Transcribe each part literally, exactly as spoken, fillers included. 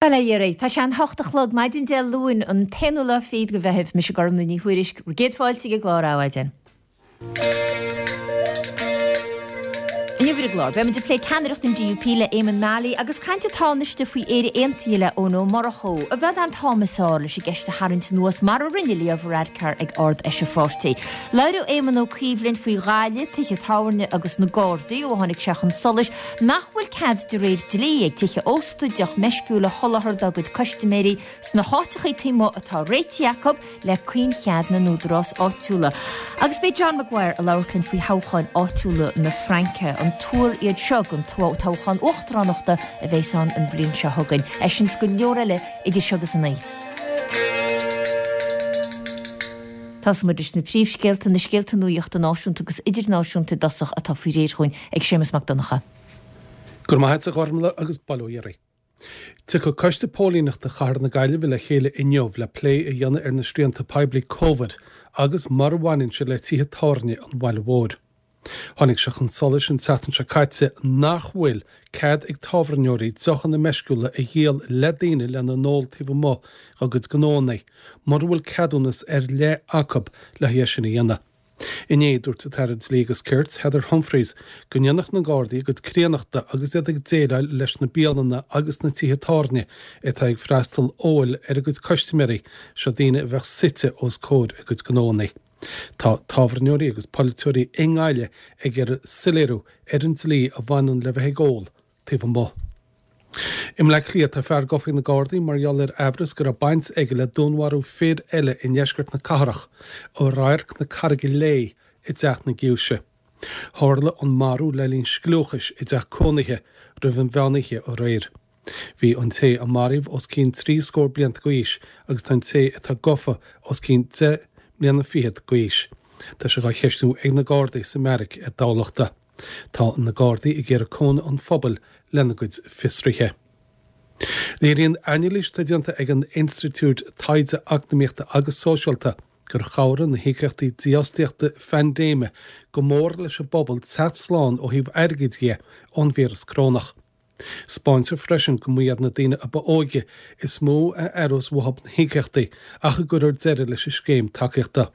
Bail ó Dhia oraibh. Tá sé an hocht a chlog maidin Dé Luain, an t-aonú lá fichead de Mheitheamh. Mise Gormlaith Ní Thuairisg, bhur gcéad fáilte ag an gclár Adhmhaidin. Inniu ar an gclár, beimid ag plé ceannaireacht an DUP le Éamonn Mallie agus caint an Tánaiste faoi Éire Aontaithe le Eoin Ó Murchú. Ab é an t-am is fearr leis an gceist a tharraingt anuas mar a rinne Leo Varadkar ag Ard-Fheis an pháirtí. Labhróidh Éamon Ó Cuív linn faoi Ghaillimh, tithe tábhairne agus na Gardaí ó tháinig sé chun solais nach bhfuil cead de réir dlí ag tithe ósta deoch meisciúil a sholáthar dá gcuid custaiméirí sna háiteacha taobh amuigh atá réitithe acu le caoinchead na n-údarás áitiúla. Agus beidh John Maguire ag labhairt linn faoi thoghcháin áitiúla na Fraince, an tuar iad seo don toghchán uachtaránachta a bheas ann an bhliain seo chugainn. É sin is go leor eile idir seo agus a naoi. Tosóidh muid leis na príomhscéalta, na scéalta nuachta náisiúnta agus idirnáisiúnta i dtosach atá faoi réir chugainn ag Séamus Mac Donncha. Go raibh maith agat a Ghormlaith agus bail ó Dhia oraibh. Tiocfaidh Coiste Póilíneachta Chathair na Gaillimhe le chéile inniu le plé a dhéanamh ar na srianta poiblí Covid agus mar a bhaineann sé le tithe tábhairne an bhaile mhóir. Tháinig sé chun solais an tseachtain seo caite nach bhfuil cead ag tábhairneoirí deochanna meisciúla a dhíol le daoine lena n-ól taobh amuigh dá gcuid gnóanna mura bhfuil ceadúnas ar leith acu le haghaidh é sin a dhéanamh. Inné, dúirt an tAire Dlí agus Cirt, Heather Humphreys, go ndéanfadh na Gardaí a gcuid críonnachta agus iad ag déileáil leis na bialanna agus na tithe tábhairne atá ag freastal óil ar a gcuid custaiméirí, seo daoine a bheadh suite os comhair a gcuid gnóanna. Tá tábhairneoirí agus polaiteoirí i nGaillimh ag iarraidh soiléiriú ar an dlí a bhaineann le bheith ag ól taobh amuigh. I mBleá Cliath, tá fear gafa ag na Gardaí mar gheall ar aimhreas go raibh baint aige le dúnmharú fir eile i ndeisceart na cathrach, i Radharc na Carraige Léith i dTeach na Giúise. Tharla an marú le linn scliúchais i dteach cónaithe roimh an mheánoíche aréir. Bhí an té a maraíodh os cionn trí scór blianta d'aois agus tá an té atá gafa os cionn deich mbliana fichead d'aois. Tá sé dhá cheistiú ag na Gardaí sa mbeairic i dTamhlachta. Tá na Gardaí ag iarraidh cúnamh an phobail lena gcuid fiosruithe. Léiríonn anailís atá déanta ag an Institiúid Taighde Eacnamaíochta agus Sóisialta gur chabhraigh na híocaíochtaí dífhostaíochta phaindéime go mór leis an bpobal teacht slán ó thaobh airgid dhe ón víreas corónach. 'Spáintear freisin go mba iad na daoine a ba óige is mó a aireos uathu na híocaíochtaí ach a gcuirfear deireadh leis an scéim tacaíochta.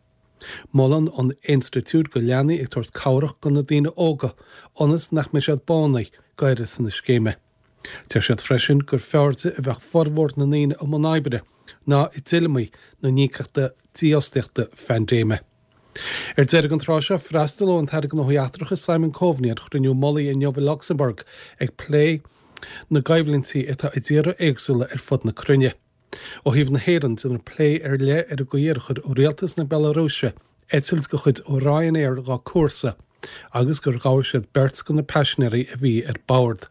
Molann an institiúid go leanfaí ag tabhairt cabhrach do na daoine óga ionas nach mbeidh siad bánaithe d'uireasa na scéime. Deir siad freisin gur fearrde a bheadh formhór na ndaoine i mbun oibre ná i dtuilleamaí na n-íocaíochta dífhostaíochta phaindéime. Ar deireadh an tráth seo, freastalóidh an tAire Gnóthaí Eachtracha Simon Coveney ar chruinniú mullaigh inniu i Lucsamburg ag plé na gcoimhlintí atá i dtíortha éagsúla ar fud na cruinne. Ó thaobh na hÉireann, déanfar plé ar leith ar an gcaoi ar chuir rialtas na Bealarúise eitilt de chuid Ryanair dá cúrsa agus gur ghabh siad beirt de na paisinéirí a bhí ar bord.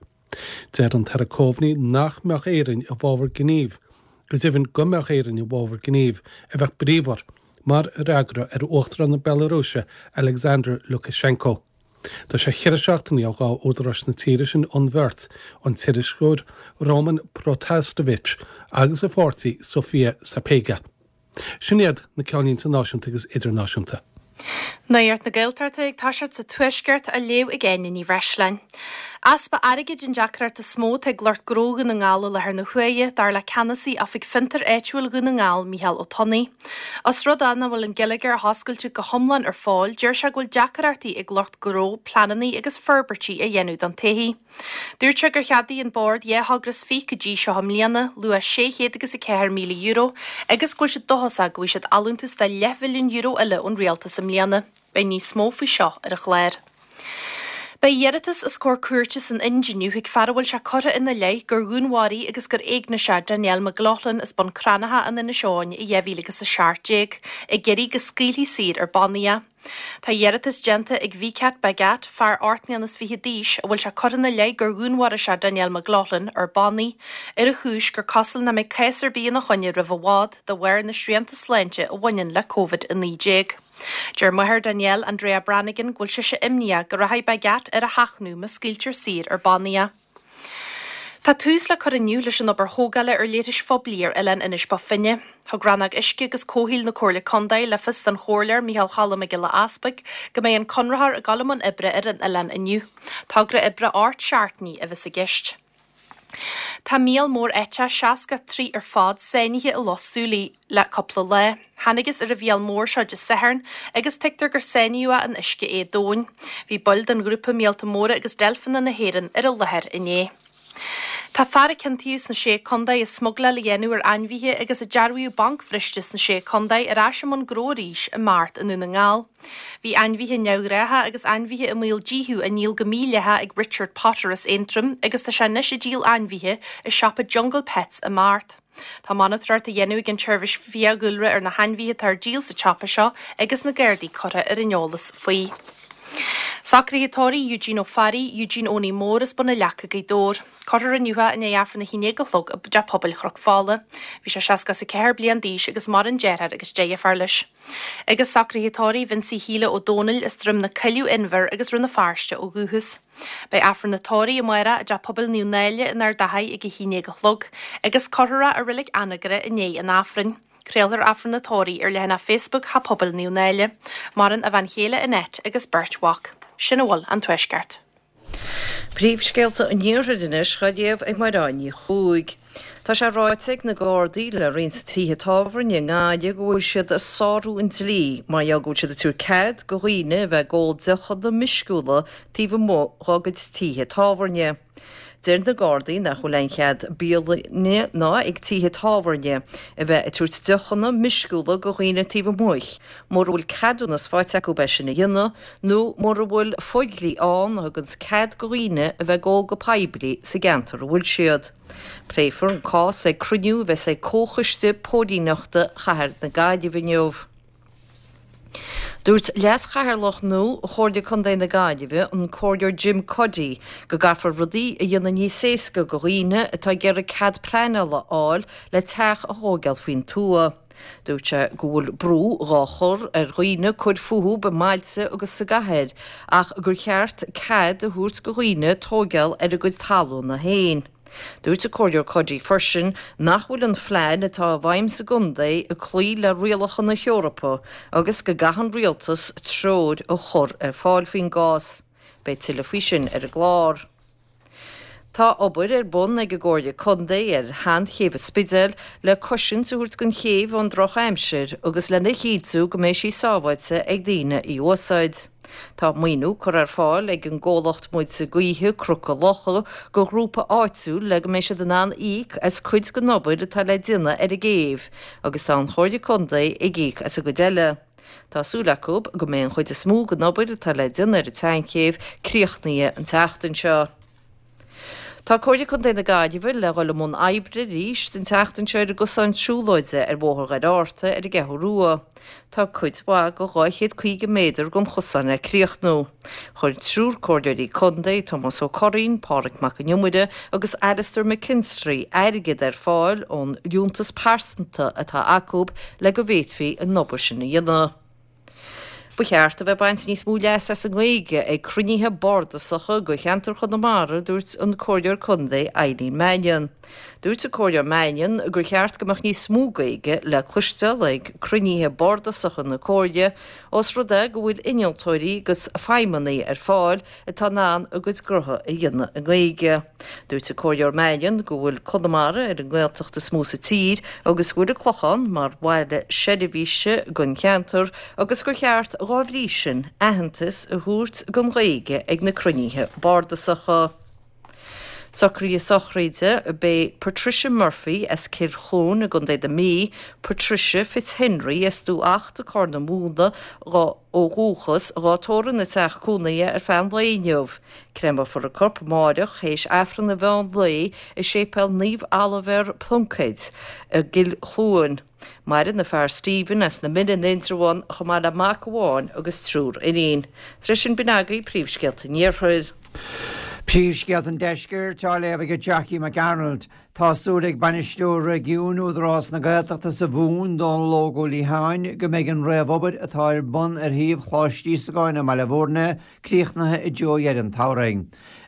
Deir an tAire Coveney nach mbeadh Éirinn i bhfabhar gnímh, go deimhin go mbeadh Éirinn i bhfabhar gnímh a bheadh bríomhar, mar fhreagra ar Uachtarán na Bealarúise Alexander Lukashenko. Tá sé cheithre seachtainí ó ghabh údaráis na tíre sin an bheirt, an t-iriseoir Roman Protasevich agus a pháirtí Sofia Sapega. Sin iad na ceannlínte náisiúnta agus idirnáisiúnta. Nuacht na Gaeltachta ag toiseacht sa Tuaisceart á léamh ag Áine Ní Bhreisleáin. Easpa airgid an deacracht is mó atá ag lucht gnó Dhún na nGall i láthair na huaire, dar le ceannasaí Oifig Fiontair Áitiúil Dhún na nGall, Micheál Ó Tonnaigh. Os rud é nach bhfuil an geilleagar athoscailte go hiomlán ar fóill, deir sé go bhfuil deacrachtaí ag lucht gnó pleananna agus forbairtí a dhéanamh don todhchaí. Dúirt sé gur cheadaigh an Bord dhá thogra is fiche go dtí seo i mbliana, luach sé chéad agus a ceathair míle euro, agus go bhfuil siad dóchasach go bhfaighidh siad allúntas de leathmhilliún euro eile ón rialtas i mbliana. Beidh níos mó faoi seo ar an chlár. Beidh iarratas os comhair cúirte san Ind inniu ag fear a bhfuil sé curtha ina leith gur dhúnmharaigh agus gur éignigh sé Danielle McLaughlin as Bun Cranncha in Inis Eoghain i dhá mhíle agus a seacht déag, ag iarraidh go scaoilfí saor ar bannaí é. Tá iarratas déanta ag Vicat Bhagat, fear ocht mbliana is fiche d'aois, a bhfuil sé curtha ina leith gur dhúnmharaigh sé Danielle McLaughlin, ar bannaí, ar an chúis gur cosúil nach mbeidh cás ar bith ina choinne roimh i bhfad de bharr na srianta sláinte a bhaineann le Covid a naoi déag. Deir máthair Danielle, Andrea Brannigan, go bhfuil sise imníoch go rachaidh Bhagat ar a sheachnadh má scaoiltear saor ar bannaí é. Tá tús le cur inniu leis an obair thógála ar leithris phoiblí ar oileán Inis Bó Finne. Thug Rannóg Uisce agus Comhshaoil na Comhairle Contae le fios don Chomhairleoir Micheál Cholm Mac Giolla Easpaig go mbeidh an conraitheoir ag dul i mbun oibre ar an oileán inniu. Togra oibre ocht seachtainí a bheas i gceist. Tá míol mór eiteach seasca trí ar fad sáinnithe i Loch Súilí le cúpla lá. Thángthas ar an mhíol mór seo Dé Sathairn agus tuigtear gur sáinníodh é in uisce éadomhain. Bhí baill den ghrúpa Míolta Móra agus Deilfeanna na hÉireann ar an láthair inné. Tá fear a ciontaíodh sna Sé Contae i smugláil a dhéanamh ar ainmhithe agus a dearbhaíodh bancbhriste sna Sé Contae ar ais i mbun gnó arís i mBeart i nDún na nGall. Bhí ainmhithe neamhghnátha agus ainmhithe i mbaol díothú á ndíol go mídhleathach ag Richard Potter as Aontroim agus tá sé anois ag díol ainmhithe i siopa Jungle Pets i mBeart. Tá monatóireacht á dhéanamh ag an tseirbhís fiadhúlra ar na hainmhithe atá ar díol sa tsiopa seo agus na Gardaí curtha ar an eolas faoi. Socruithe tórraimh Eugene Ó Fearraigh, Eugene Owenie Mór as Bun na Leaca, Gaoth Dobhair. Cuirfear inniu é i ndiaidh Aifreann a haon déag a chlog i dTeach Pobail Chnoc Fola. Bhí sé seasca is a ceathair bliain d'aois agus maireann deartháir agus deirfiúr leis. Agus socruithe tórraimh Vincie Shíle Ó Dónaill as Droim na Coilleadh Inbhir agus Rann na Feirste ó dhúchas. Beidh Aifreann an tórraimh amárach i dTeach Pobail Naomh Náille in Ard Achaidh ag a haon déag a chlog agus cuirfear é i Reilig Anagaire i ndiaidh an Aifrinn. Craolfar Aifreann an tórraimh ar leathanach Facebook Theach Pobail Naomh Náille. Maireann a bhean chéile Annette agus beirt mhac. Sin a bhfuil ón Tuaisceart. Príomhscéalta an Iarthair anois á léamh ag Máireáin Ní Chuaig. Tá sé ráite ag na Gardaí le roinnt tithe tábhairne i nGaillimh go bhfuil siad ag sárú an dlí mar gheall go bhfuil siad ag tabhairt cead go dhaoine a bheith ag ól deochanna meisciúla taobh amuigh dá gcuid tithe tábhairne. Deir na Gardaí nach bhfuil aon chead bialainne ná ag tithe tábhairne a bheith ag tabhairt deochanna meisciúla go dhaoine taobh amuigh, mura bhfuil ceadúnas faighte acu é sin a dhéanamh, nó mura bhfuil fodhlí ann a thuganns cead go dhaoine a bheith ag ól go poiblí sa gceantar a bhfuil siad. Pléifear an cás ag cruinniú a bheas ag Comhchoiste Póilíneachta Chathair na Gaillimhe inniu. Dúirt Leas-Chathaoirleach nua Chomhairle Contae na Gaillimhe, an Comhairleoir Jim Cuddy, go gcaithfear rudaí a dhéanamh níos éasca go dhaoine atá ag iarraidh cead pleanála a fháil le teach a thógáil faoin tuath. Dúirt sé go bhfuil brú dhá chur ar dhaoine cur fúthu i mbailte agus sa gcathair ach gur cheart cead a thabhairt go dhaoine tógáil ar a gcuid talúna féin. Dúirt an Comhairleoir Cuddy freisin nach bhfuil an phlean atá i bhfeidhm sa gcontae ag cloí le rialacha na hEorpa agus go gcaithfidh an rialtas treoir a chur ar fáil faoin gcás. Beidh tuilleadh faoi sin ar an gclár. Tá obair ar bun ag an gComhairle Contae ar sheanchéibh an Spidéil le cosaint a thabhairt don chéibh ón drochaimsir agus lena chinntiú go mbeidh sí sábháilte ag daoine í a úsáid. Tá maoiniú curtha ar fáil ag an gcomhlacht muilte gaoithe Cnoca Locha go ghrúpa áitiúil le go mbeidh siad in ann íoc as cuid den obair atá le déanamh ar an gcéibh agus tá an Chomhairle Contae ag íoc as an gcuid eile. Tá súil acu go mbeidh an chuid is mó den obair atá le déanamh ar an tseanchéibh críochnaithe an tseachtain seo. Tá Comhairle Contae na Gaillimhe le dhul i mbun oibre arís an tseachtain seo ar an gcosán siúlóide ar Bhóthar Dhoire Fhatharta ar an gCeathrú Rua. Tá cuid mhaith de dhá chéad caoga méadar den chosán le críochnú. Chuir triúr comhairleoirí contae, Tomás Ó Curraoin, Pádraig Mac an Iomaire agus Alastair McKinstry, airgead ar fáil ón liúntas pearsanta atá acu le go bhféadfaí an obair sin a dhéanamh. Ba cheart a bheith ag baint níos mó leas as an nGaeilge ag cruinnithe bardasacha go cheantar Chonamara, dúirt an Comhairleoir Contae Eileen Mannion. Dúirt an Comhairleoir Mannion gur cheart go mbeadh níos mó Gaeilge le cloisteáil ag cruinnithe bardasacha na Comhairle, ós rud é go bhfuil innealtóirí agus feidhmeannaigh ar fáil atá in ann a gcuid gnótha a dhéanamh i nGaeilge. Dúirt an Comhairleoir Mannion go bhfuil Conamara ar an nGaeltacht is mó sa tír agus go bhfuil an Clochán mar bhaile seirbhíse don cheantar agus gur cheart dhá bhrí sin aitheantas a thabhairt don Ghaeilge ag na cruinnithe bardasacha. Socruithe sochraide Beidh Patricia Murphy as Cill Chluain i gContae na Mí, Patricia Fitzhenry as Dumha Achta Corr na Móna ó dhúchas, dhá tórramh ina teach cónaithe ar feadh an lae inniu. Créamfar a corp amáireach théis Aifreann an mheán lae i Séipéal Naomh Oilibhéar Pluincéid i gCill Chluain. Maireann a fear Stephen as na Mine in Indreabhán chomh maith le mac amháin agus triúr iníon. Tar éis sin b'in agaibh príomhscéalta an Iarthair. Príomhscéalta an Deiscirt á léamh ag Jackie McArnold. Tá súil ag bainisteoir réigiúin Údarás na Gaeltachta sa Mhumhain, Dónal Óg Ó Liatháin, go mbeidh an réamhobair atá ar bun ar shuíomh Choláiste Íosagáin i mBaile Bhúirne críochnaithe i dtreo dheireadh an tsamhraidh.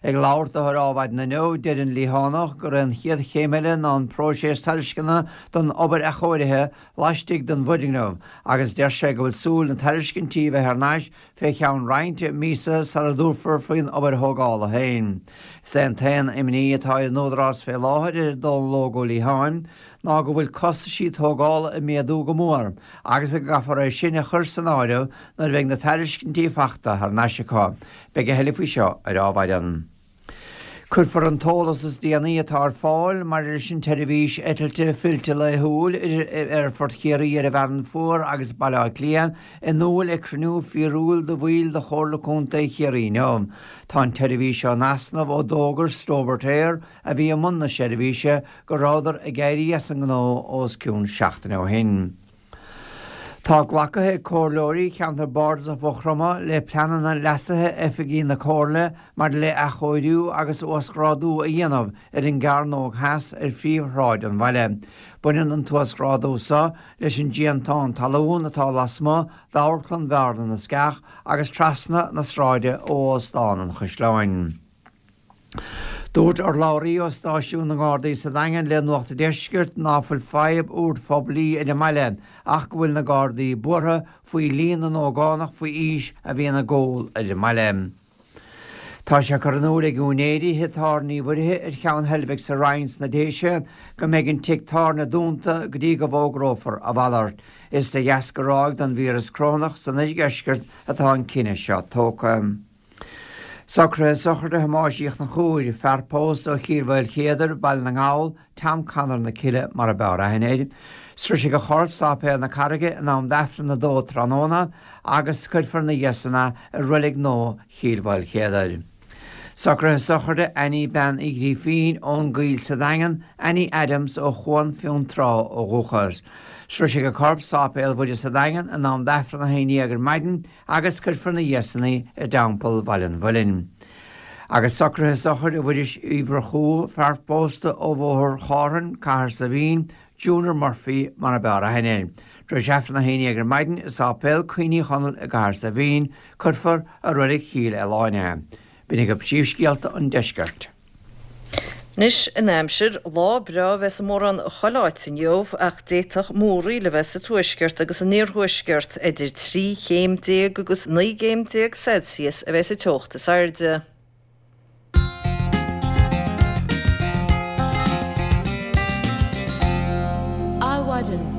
Ag labhairt dó ar Adhmhaidin inniu, deir an Liathánach gur é an chéad chéim eile ná an próiseas tairisceana don obair athchóirithe laistigh den bhfoirgneamh agus deir sé go bhfuil súil na tairiscintí bheith thar n-ais fé cheann roinnt míosa sara dtabharfar faoin obair thógála féin. Is é an t-aon imní atá ar an Údarás fé láthair, a deir Dónal Óg Ó Liatháin, ná go bhfuil costaisí tógála ag méadú go mór agus go gcaithfear é sin a chur san áireamh nuair a bheidh na tairiscintí fachta thar n-ais acu. Beidh a thuilleadh faoi seo ar Adhmhaidin. Cuirfear an t-eolas is déanaí atá ar fáil maidir leis an tseirbhís eitilte fillte laethúil idir Aerfort Chiarraí ar an bhFearann Fuar agus Baile Átha Cliath in iúl ag cruinniú fíorúil de bhaill de Chomhairle Contae Chiarraí inniu. Tá an tseirbhís seo in easnamh ó d'fhógair Stobart Air, a bhí i mbun na seirbhíse, go rabhadar ag éirí as an ngnó os cionn seachtaine ó shin. Tá glactha ag comhairleoirí Cheantar Bardasach Mhaigh Chromtha le pleananna leasaithe oifigí na Comhairle maidir le athchóiriú agus uasghrádú a dhéanamh ar an gCearnóg Theas ar phríomhshráid an bhaile. Baineann an t-uasghrádú seo leis an déantán talún atá lasmuigh d'Amharclann Bhearna na Sceach agus trasna na sráide ó Óstán an Chaisleáin. Dúirt urlabhraí ó stáisiún na nGardaí sa Daingean le Nuacht an Deiscirt ná fuil fadhb úr phoiblí ar an mbaile ach go bhfuil na Gardaí buartha faoi líon na n-ógánach faoi aois a bhíonn ag ól ar an mbaile. Tá sé curtha in iúl ag úinéirí thigh tábhairne Uí Mhuirithe ar Cheann Heilbhic sa Rinn sna Déise go mbeidh an tigh tábhairne dúnta go dtí go bhfógrófar a mhalairt. Is de dheasca ráig den víreas corónach san oirdheisceart atá an cinneadh seo tógtha. Socruithe sochraide Thomáis Uí Chonchúir, fear pósta ó Chill Mhaoilchéadair, Baile na nGall, Tom Conor na Cille mar a b'fhearr aithne air. Sroisfidh a chorp Sáipéal na Carraige in am d'Aifreann a dó tráthnóna agus cuirfear ina dhiaidh san é i Reilig Nua Chill Mhaoilchéadair. Socruithe sochraide Annie Bean Uí Ghrífín ón gCoill sa Daingean, Annie Adams ó Chuan Fionntrá ó dhúchas. Sroisfidh a corp Sáipéal Mhuire sa Daingean in am d'Aifreann a haon déag ar maidin agus cuirfear ina dhiaidh san í i dTeampall Bhaile an Mhuilinn. Agus socruithe sochraide Mhuiris Uí Mhurchú, fear pósta ó Bhóthar Chárthainn, Cathair Saidhbhín, Junior Murphy mar a b'fhearr aithne air. Tar éis Aifreann a haon déag ar maidin i Sáipéal Cuimhní Chonaill i gCathair Saidhbhín, cuirfear i Reilig Chill Aoláin é. B'in agaibh príomhscéalta an deiscirt. Anois, an aimsir, lá breá a bheas i mórán chuile áit inniu ach d'fhéadfadh múraíl a bheith sa tuaisceart agus san iarthuaisceart. Idir trí chéim déag agus naoi gcéim déag Celsius a bheas an teocht is airde. Adhmhaidin.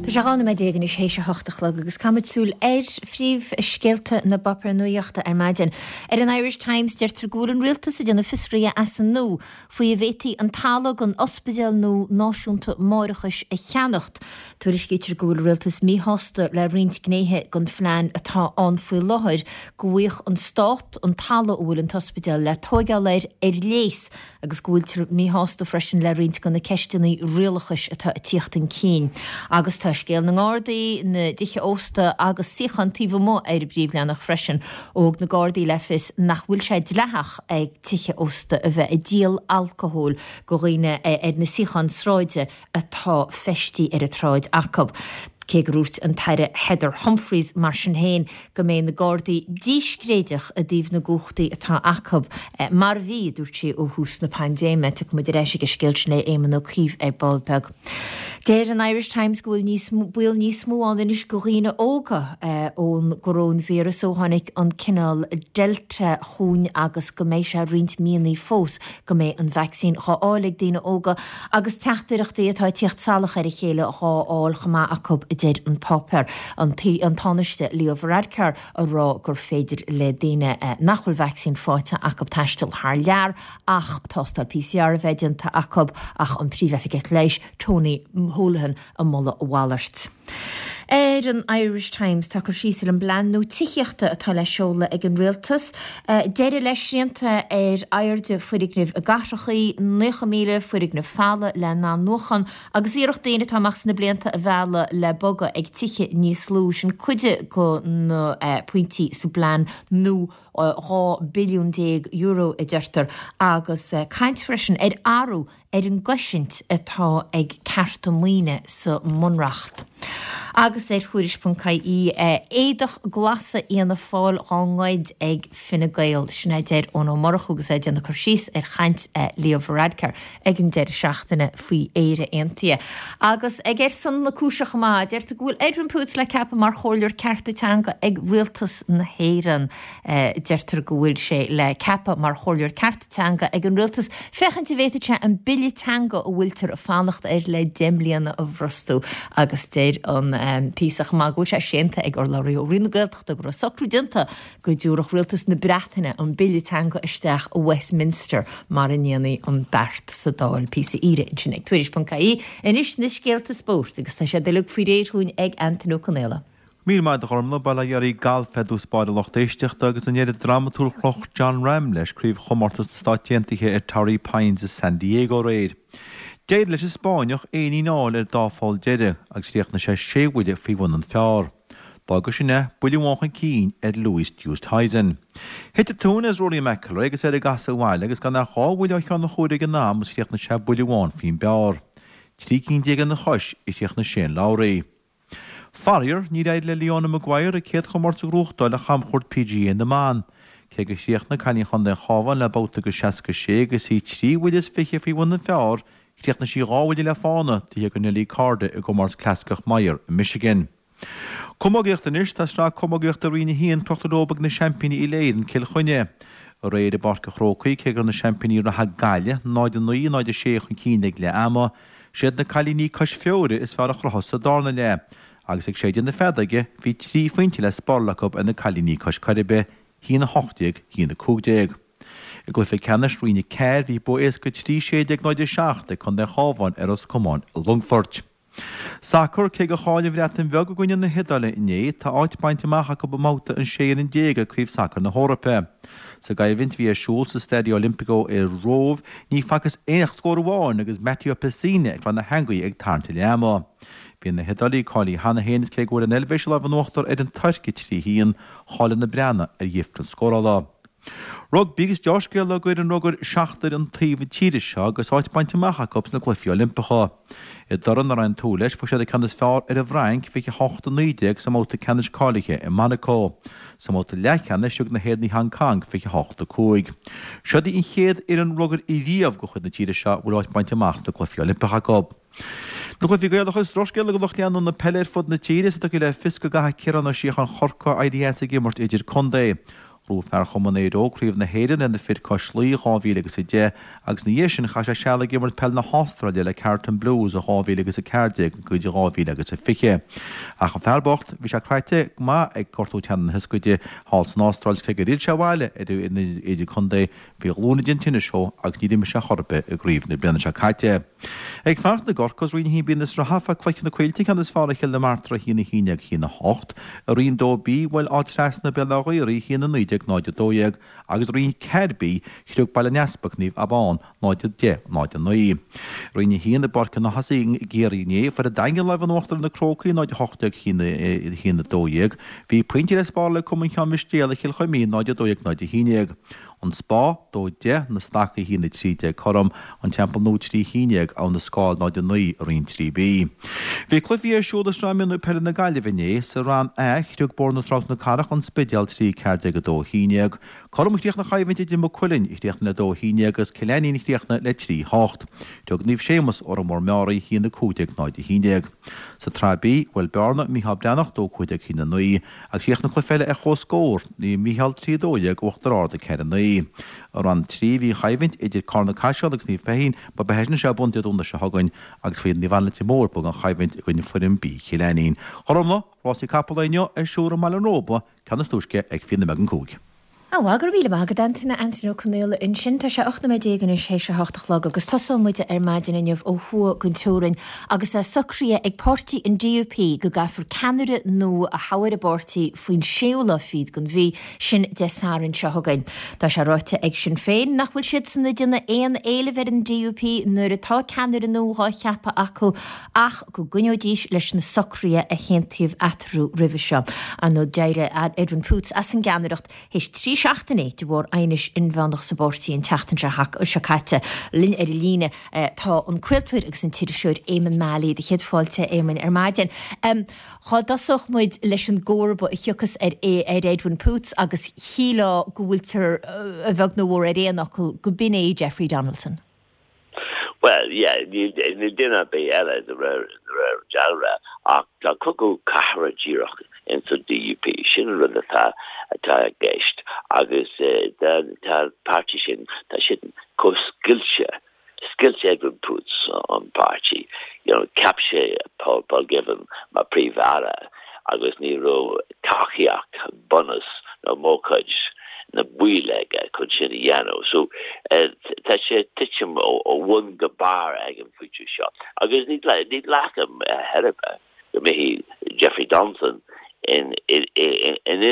Tá sé dhá nóiméad déag anois théis a hocht a chlog agus caithfimid súil ar phríomhscéalta na bpáipéar nuachta ar maidin. Ar an Irish Times deirtear go bhfuil an rialtas ag déanamh fiosraithe as an nua faoi an bhféadfaí an talamh don ospidéal nua náisiúnta máithreachais a cheannacht. Tuairiscítear go bhfuil an rialtas míshásta le roinnt gnéithe den phlean atá ann faoi láthair, go bhfaigheadh an stát an talamh a bhfuil an t-ospidéal le tóigeáil air ar léas agus go bhfuiltear míshásta freisin le roinnt de na ceisteanna rialachais atá ag tíocht chun cinn. Agus tá scéal na nGardaí, na dtithe ósta agus suíocháin taobh amuigh ar an bpríomhleathanach freisin. Ó thug na Gardaí le fios nach bhfuil sé dleathach ag tithe ósta a bheith ag díol alcóil go dhaoine ar na suíocháin sráide atá feistí ar an tsráid acu. Cé gur dhúirt an tAire Heather Humphreys mar sin féin go mbeidh na Gardaí díscréideach i dtaobh na gcumhachtaí atá acu, mar a bhí, a dúirt sí, ó thús na paindéime. Tiocfaidh muid ar ais ag an scéal sin le Éamon Ó Cuív ar ball beag. Deir an Irish Times go bhfuil níos baol níos mó ann anois go dhaoine óga ón gcoróinvíreas ó tháinig an cineál Delta chugainn agus go mbeidh sé roinnt míonna fós go mbeidh an vacsaín dhá fháil ag daoine óga agus teachtaireachtaí atá ag tíocht salach ar a chéile dhá fháil chomh maith acu, a deir an páipéar. An Tánaiste Leo Varadkar a rá gur féidir le daoine nach bhfuil vacsaín faighte acu taisteal thar lear ach tástáil PCR a bheith déanta acu ach an Príomhoifigeach Leighis Tony Holohan ag moladh a mhalairt. Ar an Irish Times tá cur síos ar an bplean nua tithíochta atá le seoladh ag an Rialtas, deireadh le srianta ar airde foirgnimh i gcathrachaí, naocha míle foirgneamh folamh le n-athnuachan agus iarracht daoine atá amach sna blianta a mhealladh le bogadh ag tithe níos lú. Sin cuid de na pointí sa bplean nua dhá billiún déag euro a deirtear agus caint freisin ar athrú ar an gcosaint atá ag cearta maoine sa mBunreacht. Agus ar Thuairisc ponc ie, éadach glasa Fhianna Fáil dhá ngoid ag Fine Gael, sin a deir Eoin Ó Murchú agus é ag déanamh cur síos ar chaint Leo Varadkar ag an deireadh seachtaine faoi Éire Aontaithe. Agus ag Ar Son na Cúise chomh maith, deirtear go bhfuil Edwin Poots le ceapadh mar chomhairleoir cearta teanga ag Rialtas na hÉireann. Deirtear go bhfuil sé le ceapadh mar chomhairleoir cearta teanga ag an Rialtas féachaint an bhféadfadh sé an bille teanga a bhfuiltear ag fanacht air le deich mbliana a bhrostú agus deir an píosa chomh maith go bhfuil sé séanta ag urlabhraí ó Roinn na Gaeltachta go raibh socrú déanta go dtabharfadh Rialtas na Breataine an bille teanga isteach i Westminster mara ndéanfaí an beart sa Dáil. Píosa aoire ansin ag Tuairisc ponc ie. Anois na scéalta spóirt agus tá siad uilig faoi réir dhúinn ag Antain Ó Conaola. Míle maith agat a Ghormlaith, bail ó Dhia oraibh galf ar dtús báire a lucht éisteachta agus an deireadh drámatúil chroch Jon Rahm leis craobh chomórtas na Stát Aontaithe ar Torrey Pines i San Diego aréir. D'éirigh leis an Spáinneach éinín a fháil ar dá pholl deiridh agus chríochnaigh sé sé bhuille faoi bhun an phar. D'fhága sin é buille amháin chun cinn ar Louis Oosthuizen. Thit an tóin as Rory McIlroy agus air ag casadh abhaile agus gan ach dhá bhuille ó cheann an chuaire ag an am agus chríochnaigh sé buille amháin faoin bpar. Trí cinn déag ina chois a chríochnaigh Shane Lowry. Faraor, níor éirigh le Leona Maguire a céad chomórtas a ghnóthachtáil ar chamchuairt PGA na mBan. Cé gur chríochnaigh cailín Chontae an Chabháin le babhta de seasca sé agus í trí bhuille is fiche faoi bhun an phar, chríochnaigh sí dhá bhuille le fána taobh thiar de Nelly Korda i gcomórtas clasaiceach Meijer i Michigan. Camógaíocht Anois tá sraith camógaíochta Roinn a haon crochta leo ag na seaimpíní Uile-Éireann Cill Chainnigh. Aréir i bPáirc an Chrócaigh, cé go raibh na seaimpíní reatha Gaillimh náid a naoi, náid a sé chun cinn ag leath ama, siad na cailíní cois Feoire is fearr a chruthaigh sa darna leath, agus ag séideadh na feadóige bhí trí phointe le spáráil acu ar na cailíní cois Coiribe, a haon a hocht déag, a haon a cúig déag. I gcluiche ceannais Roinn a ceathair bhí bua éasca trí sé déag náid a seacht ag Contae an Chabháin ar Ros Comáin i Longfoirt. Sacar, Cé gur chaill an Bhreatain Bheag i gcoinne na hIodáile inné, tá áit bainte amach acu i mbabhta an sé fhoireann déag ag Craobh Sacair na hEorpa. Sa gcoimhlint a bhí ar siúl sa Stadio Olimpico i Róimh, ní facthas ach scór amháin agus Matteo Pessina ag fáil na heangaí ag tarraingt a leath ama. Bhí na hIodálaigh cáilithe cheana féin is cé go bhfuair an Eilvéis an lámh in uachtar ar an Tuirc a trí haon, chaill na Breathnaigh ar dhifrear scórála. Rugbaí agus deá-scéala do fhoireann rugair seachtar an taobh tíre seo agus áit bainte amach acu sna Cluichí Oilimpeacha. I dtoradh nach raibh aon tsúil leis, fuair siad an ceann is fearr ar an bhFrainc, fiche a hocht a naoi déag sa mbabhta ceannais cáilithe i Monaco. Sa mbabhta leathcheannais thug na hÉireannaigh Hong Kong fiche a hocht a cúig. Seod í an chéad fhoireann rugair riamh de chuid na tíre seo a bhfuil áit bainte amach sna Cluichí Oilimpeacha acu. Na cluichí Gaelacha is drochscéala do lucht leanúna na peile ar fud na tíre is a dtiocfaidh le fios go gcaithfidh Ciarán Ó Síocháin Chorcaí éirí as ag imirt idir-contae. Ghnóthaigh fear Chumann Éire Óg Craobh na hÉireann le na fir cois Laoi dhá mhíle agus a deich agus ina dhiaidh sin chaith sé seal ag imirt peil na hAstráile le Carlton Blues ó dhá mhíle agus a ceathair déag go dtí dhá mhíle agus a fiche. Ach an fear bocht, bhí sé craite go maith ag gortú teannán na hioscaide thall san Astráil is cé gur fhill sé abhaile ar an idir-contae bhí a ghlúin ag déanamh tinnis dhó agus níor imir sé chor ar bith i gcraobh na bliana seo caite. Ag fanacht i gCorcaigh, Roinn a haon B na sraithe, fuair Cloich Cheann na Coillte ceann is fearr ar Chill na Martra a haon a haon déag a haon a hocht. I Roinn dó B, bhuail Áth Trasna Béal Átha Ghaorthaidh a haon a naoi déag náid a dó dhéag agus i Roinn ceathair B, chroch Baile an Easpaig Naomh Abán náid a deich náid a naoi. Roinn a haon i bPáirc an Ághasaigh i gCiarraí inné, fuair an Daingean lámh in uachtar ar na Crócaigh náid a hocht déag a haon a dó dhéag. Bhí pointe le spáráil ag Cumann Cheann Mhistéal ar Chill Chuimín náid a dó dhéag náid a haon déag. An Spá, dó deich, Na Stacaigh a haon a trí déag cothrom, An Teampall Nua trí haon déag, Abha na Scáil náid a naoi i Roinn trí B. Bhí cluichí ar siúl i Sraith Mionúir Peile na Gaillimhe inné. Sa Rang A, chroch Bóthar na Trá na Cathrach An Spidéal trí ceathair déag a dó haon déag. Cothrom a chríochnaigh an choimhlint idir Maigh Cuilinn, a chríochnaigh le dó haon déag, agus Cill Ainnín a chríochnaigh le trí hocht. Chroch Naomh Séamus, Órán Mór Meáraí, a haon a cúig déag náid a haon déag. Sa tSraith B, bhuail Bearna, Mícheál Breathnach, dó cúig déag haon a naoi, agus chríochnaigh an cluiche eile ar comhscór, Naomh Mícheál trí a dó dhéag, Uachtar Ard a ceathair a naoi. I Rang trí bhí an choimhlint idir Carna Caiseal agus Naomh Feichín, ba beidh sin ar bun Dé Domhnaigh seo chugainn, agus faoi Naomh Anna Leitir Móir bhuaigh an choimhlint i gcoinne foireann B Chill Ainnín. Choromla, rásaí capall inniu ar siúl i mBaile an Róba, ceann is túisce ag fiche nóiméad don cúig. Á, go raibh míle maith agat, Antaine, Antaine Ó Conaola ansin. Tá sé ocht nóiméad déag anois théis a hocht a chlog agus tosóidh muid ar maidin inniu ó thuaidh den teorainn agus é socraithe ag páirtí an D U P go gcaithfear ceannaire nua a thoghadh ar an bpáirtí faoin séú lá fichead den mhí, sin Dé Sathairn seo chugainn. Tá sé ráite ag Sinn Féin nach bhfuil siadsan ag déanamh aon éilimh ar an D U P nuair atá ceannaire nua dhá cheapadh acu ach go gcoinneoidís leis na socruithe a haontaíodh eatarthu roimhe seo. Ar ndóigh d'éirigh Edwin Poots as an gceannaireacht théis trí trí seachtainí de bharr aighnis inmheánach sa bpáirtí an tseachtain seo caite. Linn ar an líne tá an craoltóir agus an t-iriseoir Éamonn Mallie, do chéad fáilte a Éamoinn ar maidin. Dhá dtosódh muid leis an gcomharba a thiocfas ar ar Edwin Poots agus shílfeá go bhfuiltear a bheag nó a mhór ar aon fhocal go b'in é Jeffrey Donaldson. Well, yeah, níl duine ar bith eile de réir dealraimh ach tá cogadh cathartha díreach ins an D U P. Sin an rud atá atá i gceist agus tá an páirtí sin, tá siad chomh scoilte, scoilt Edwin Poots an páirtí. You know, cheap sé Paul, Paul Givan mar Príomh-Aire agus ní raibh tacaíocht bunús nó mórchuid na baill aige chun sin a dhéanamh. So tá sé ag titim ó bhun go barr ag an phointe seo. Agus ní ní ghlacaim ar bith go mbeidh Jeffrey Donaldson in in in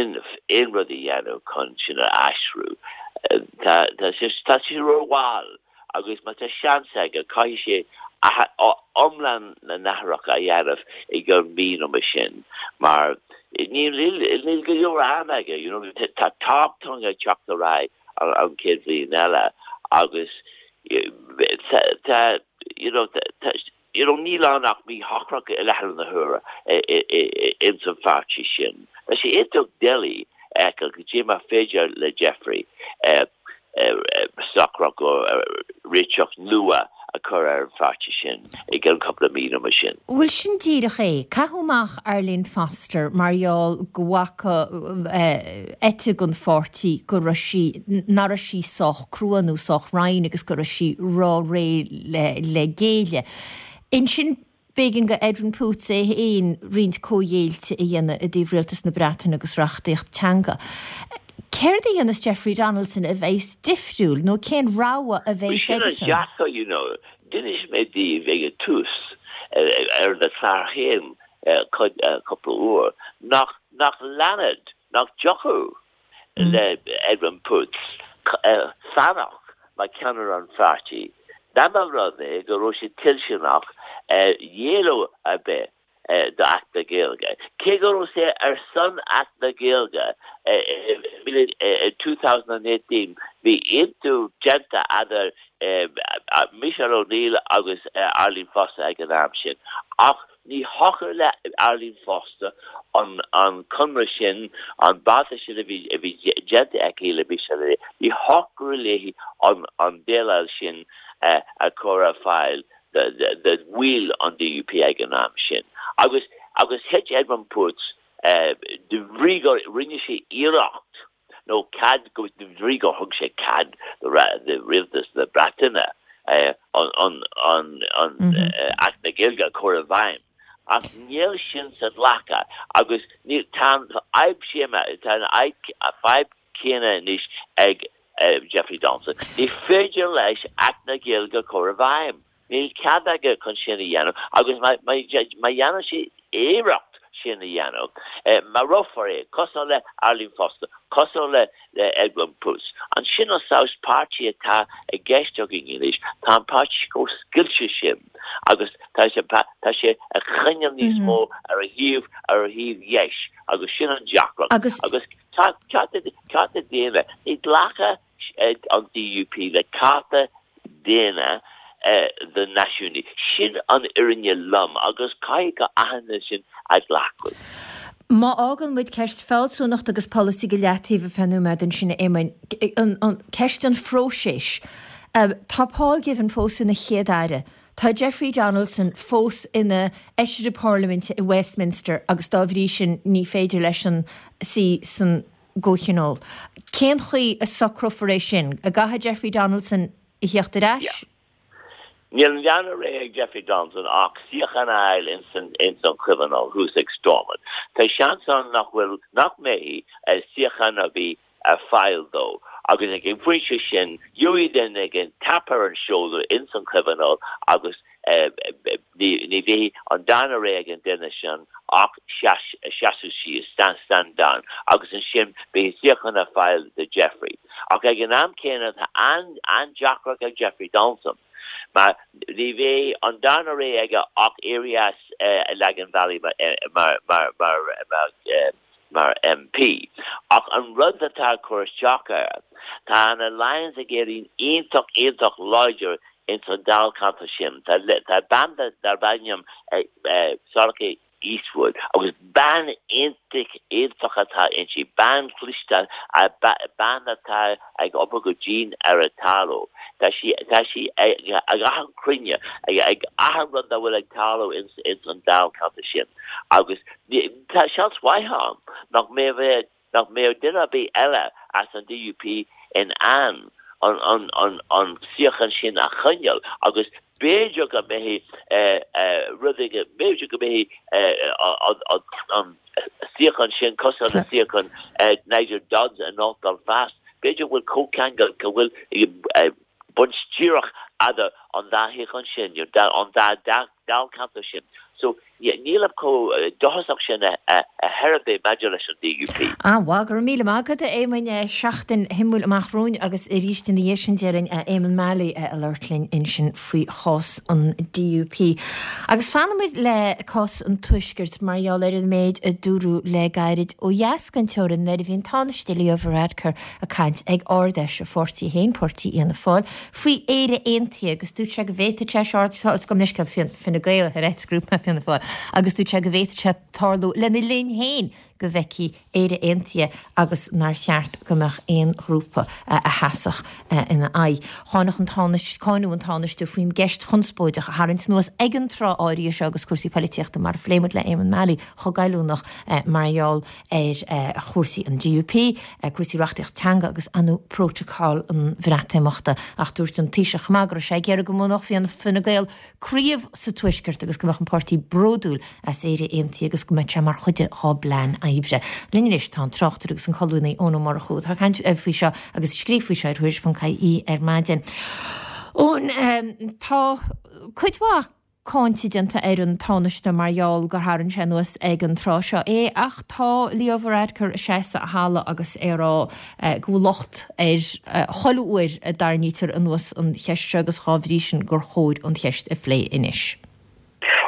aon rud a dhéanamh chun sin a aistriú. Tá tá sé tá sé rómhall agus má tá seans aige caithfidh sé iomlán na n-athrach a dhéanamh i gceann mí nó mar sin mar níl níl go leor ama aige, you know, tá toghchán ag teacht ar aghaidh an chéad bhliain eile agus tá you know, tá you know, níl ann ach míshocracht i láthair na huaire ins an pháirtí sin. Tá sé iontach doiligh a fheiceáil goidé mar féidir le Jeffrey socracht réiteach nua a chur ar an pháirtí sin i gceann cúpla mí nó mar sin. Bhuel sin díreach é. Caitheadh amach Arlene Foster mar gheall go bhfaca eite den pháirtí go raibh sí nach raibh sí sách crua nó sách righin agus go raibh sí ró-réidh le le géilleadh. Ansin b'éigean do Edwin Poots é féin roinnt comhghéillte a dhéanamh i dtaobh Rialtas na Breataine agus reachtaíocht teanga. Céard a dhéanfas Jeffrey Donaldson a bheas difriúil nó cén rogha a bheas Sin an aigesan? deacair, you know, d'inis mé daoibh ag an tús ar na cláir féin cúpla uair nach nach leanfadh, nach dtiocfadh le Edwin Poots fanacht mar cheannaire an pháirtí. Dá mba rud é go raibh sé toilteanach géilleadh ar bith d'Acht na Gaeilge. Cé go raibh sé ar son Acht na Gaeilge i two thousand eighteen, bhí aontú déanta idir Michelle O'Neill agus Arlene Foster ag an am sin. Ach ní thiocfadh le Arlene Foster an an conradh sin, an beartas sin a bhí a bhí déanta aici le Michelle, ní thiocfadh léi an an déileáil sin a chur ar fáil do bhaill an D U P ag an am sin. Agus agus thit Edwin Poots de bhrí gur rinne sé iarracht nó cead go de bhrí gur thug sé cead do rialtas na Breataine an an an an Acht na Gaeilge chur i bhfeidhm. Ach níl sin sa ghlacadh agus ní tá fadhb tá an fhadhb céanna anois ag Jeffrey Donaldson. Ní féidir leis Acht na Gaeilge chur i bhfeidhm. Níl cead aige chun sin a dhéanamh agus má dhéanann sé iarracht sin a dhéanamh. Marófar é cosúil le Arlene Foster, cosúil le le Edwin Poots. An sin an saghas páirtí atá i gceist againn anois, tá an páirtí chomh scoilte sin agus tá sé tá sé a choinneáil níos mó ar a thaobh ar a thaobh dheis agus sin an deacracht Agus agus cearta daonna ní ghlacfaidh an D U P le cearta daonna do náisiúnaigh. Sin an fhírinne lom agus caithfidh go aithne sin a ghlacadh. Má fhágann muid ceist fealsúnacht agus polasaí go leataobh ar feadh nóiméad ansin a Éamoinn, an ceist an phróisis. Tá Paul Givan fós ina chéad aire. Tá Jeffrey Donaldson fós ina fheisire parlaiminte i Westminster agus dá bhrí sin ní féidir leis an suí san gComhthionól. Cén chaoi a socrófar é sin? An gcaithfidh Jeffrey Donaldson a theacht ar ais? Níl an dara rogha ag Jeffrey Donaldson ach suíochán a fháil ins an ins an Chomhthionól thuas ag Stormont. Tá seans ann nach bhfuil nach mbeidh suíochán ar bith ar fáil dó. Agus ag an phointe sin gheobhaidh duine éigin tap ar an shoulder ins an Chomhthionól agus ní bheidh an dara rogha ag an duine sin ach seasamh síos, stand stand down, agus ansin beidh suíochán ar fáil do Jeffrey. Ach ag an am céanna tá an an-deacracht ag Jeffrey Donaldson. Mar ní bheidh an dara rogha aige ach éirí as Lagan Valley mar mar mar mar mar mar M P. Ach an rud atá cur isteach air, tá an Alliance ag éirí iontach iontach láidir in san dáilcheantar sin. Tá tá bean darb ainm Sorcha Eastwood agus bean iontach iontach atá inti bean chliste bean atá ag obair go dian ar a tarlú. Tá sí tá sí ag achan chruinniú ag ag achan rud a bhfuil ag tarlú in in an dáilcheantar sin. Agus tá seans mhaith ann nach mbeidh nach mbeidh duine ar bith eile as an D U P in ann an an an an suíochán sin a choinneáil agus b'fhéidir go mbeidh rud b'fhéidir go mbeidh an suíochán sin cosúil le suíochán Nigel Dodds in North Belfast. B'fhéidir bhfuil comhcheangal go bhfuil baint díreach idir an dá shuíochán sin an dá dáilcheantar sin. So níl chomh dóchasach sin a herbé maidir leis an D U P. An-mhaith, go raibh míle maith agat, Éamoinn. Seachtain shuimiúil amach romhainn agus arís ina dhiaidh sin déarfainn Éamonn Mallie a labhairt linn ansin faoi chás an D U P. Agus fanfaimid le cás an Tuaiscirt mar gheall ar an méid a dúradh le gairid ó dheas den teorainn nuair a bhí an Tánaiste Leo Varadkar ag caint ag Ard-Fheis a pháirtí féin, Páirtí Fhianna Fáil, faoi Éire Aontaithe agus dúirt sé go bhféadfadh sé seo go Fine Gael ar grúpa Fianna Fáil agus dúirt sé go bhféadfadh sé tarlú lena linn féin go bhfeicfí Éire Aontaithe agus nár cheart go mbeadh aon ghrúpa a sheasfadh ina aghaidh. Cháin an Tánaiste cáineadh an Tánaiste faoin gceist chonspóideach a tharraingt anuas ag an tráth áirithe seo agus cúrsaí polaitíochta mar a phléigh muid le Éamonn Mallie chomh goilliúnach mar gheall ar chúrsaí an D U P, cúrsaí reachtaíocht teanga agus anú prótacal an Bhreatimeachta ach dúirt an Taoiseach go raibh sé ag iarraidh go mbuafadh Fine Gael craobh sa Tuaisceart agus go mbeadh an páirtí bródúil as Éire Aontaithe agus go mbeadh sé mar chuid dá bplean oibre. Linn anois tá an tráchtaire agus an colúnaí Eoin Ó Murchú atá ag caint faoi seo agus scríobh faoi seo ar Thuairisc ponc I E ar maidin. Eoin tá cuid mhaith cáinte déanta ar an Tánaiste mar gheall gur tharraing sé anuas ag an tráth seo é ach tá Leo Varadkar ag seasamh a thalamh agus é ag rá go bhfuil locht ar chuile uair a dtarraingítear anuas an cheist seo agus dá bhrí sin gur chóir an cheist a phlé anois.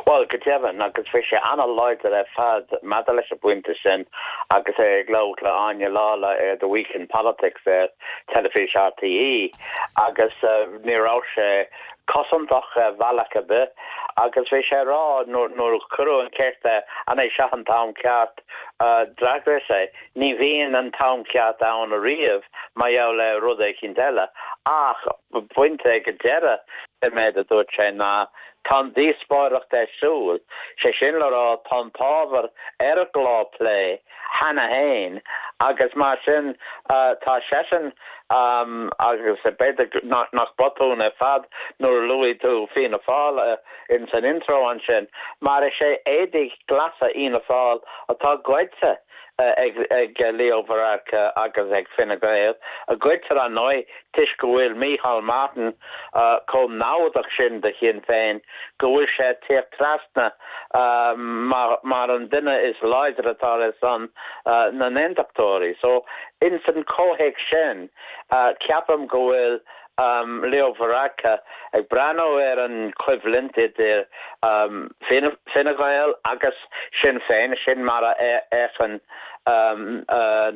Well go deimhin agus bhí sé an-láidir ar fad maidir leis an bpointe sin agus é ag labhairt le Áine Lawlor ar The Week in Politics ar teilifís R T E agus uh, ní raibh sé cosantach ar bhealach ar bith agus bhí sé rá nuair a cuireadh an cheist an é seo an t-am ceart uh, d'fhreagair sé ní bhíonn an t-am ceart ann ariamh mar gheall le rud éicint eile ach pointe go deireadh i méid a dúirt sé ná tá díospóireacht ar siúl sé sin le rá tá an t-ábhar ar an gclár plé cheana féin agus mar sin uh, tá seisean um, agus b'fhéidir nach, nach botún ar fad nuair a luaigh tú Fianna Fáil uh, in san intro ansin mar is é éadaí glasa Fhianna Fáil atá goidte uh, ag, ag Leo Varadkar agus ag Fine Gael a goidtear an nói toisc go bhfuil Micheál Martin uh, chomh namhdach sin do Shinn Féin go bhfuil sé teacht trasna uh, mar, mar an duine is láidre atá ar son uh, na n-aontachtóirí. So in san comhthéacs sin uh, ceapaim go bhfuil um, Leo Varadkar ag breathnú ar an choimhlint idir um, Fine Gael agus Sinn Féin sin mar a fhéachann um, uh,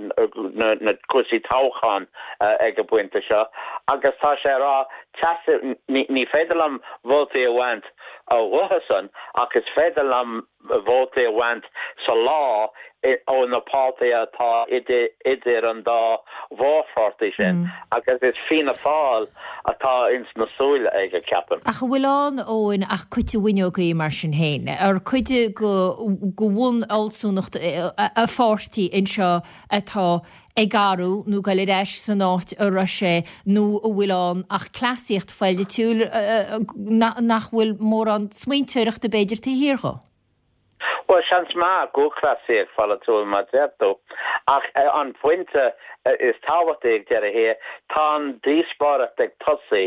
na, na cúrsaí toghcháin uh, ag an bpointe seo agus tá sé rá ní, ní féidir liom vótaí a bhaint uathusan ach is féidir liom vótaí a bhaint sa lá ó na páirtithe atá idir, idir an dá mhórpháirtí sin mm. agus is Fianna Fáil atá ins na súile aige ceapaim. Ach bhfuil ann Eoin ach cuid bhuinneogaí mar sin féin, ar cuid go go bhun-fhealsúnacht a pháirtí anseo atá ag athrú nó go ar ais san áit a raibh sé nó a bhfuil ann ach cleasaíocht pholaitiúil nach bhfuil mórán smaointeoireachta b'fhéidir taobh thiar de. Well seans maith go cleasaíocht pholaitiúil mar deir tú ach uh, an pointe uh, is tábhachtaí ag deireadh thiar tá an díospóireacht ag tosú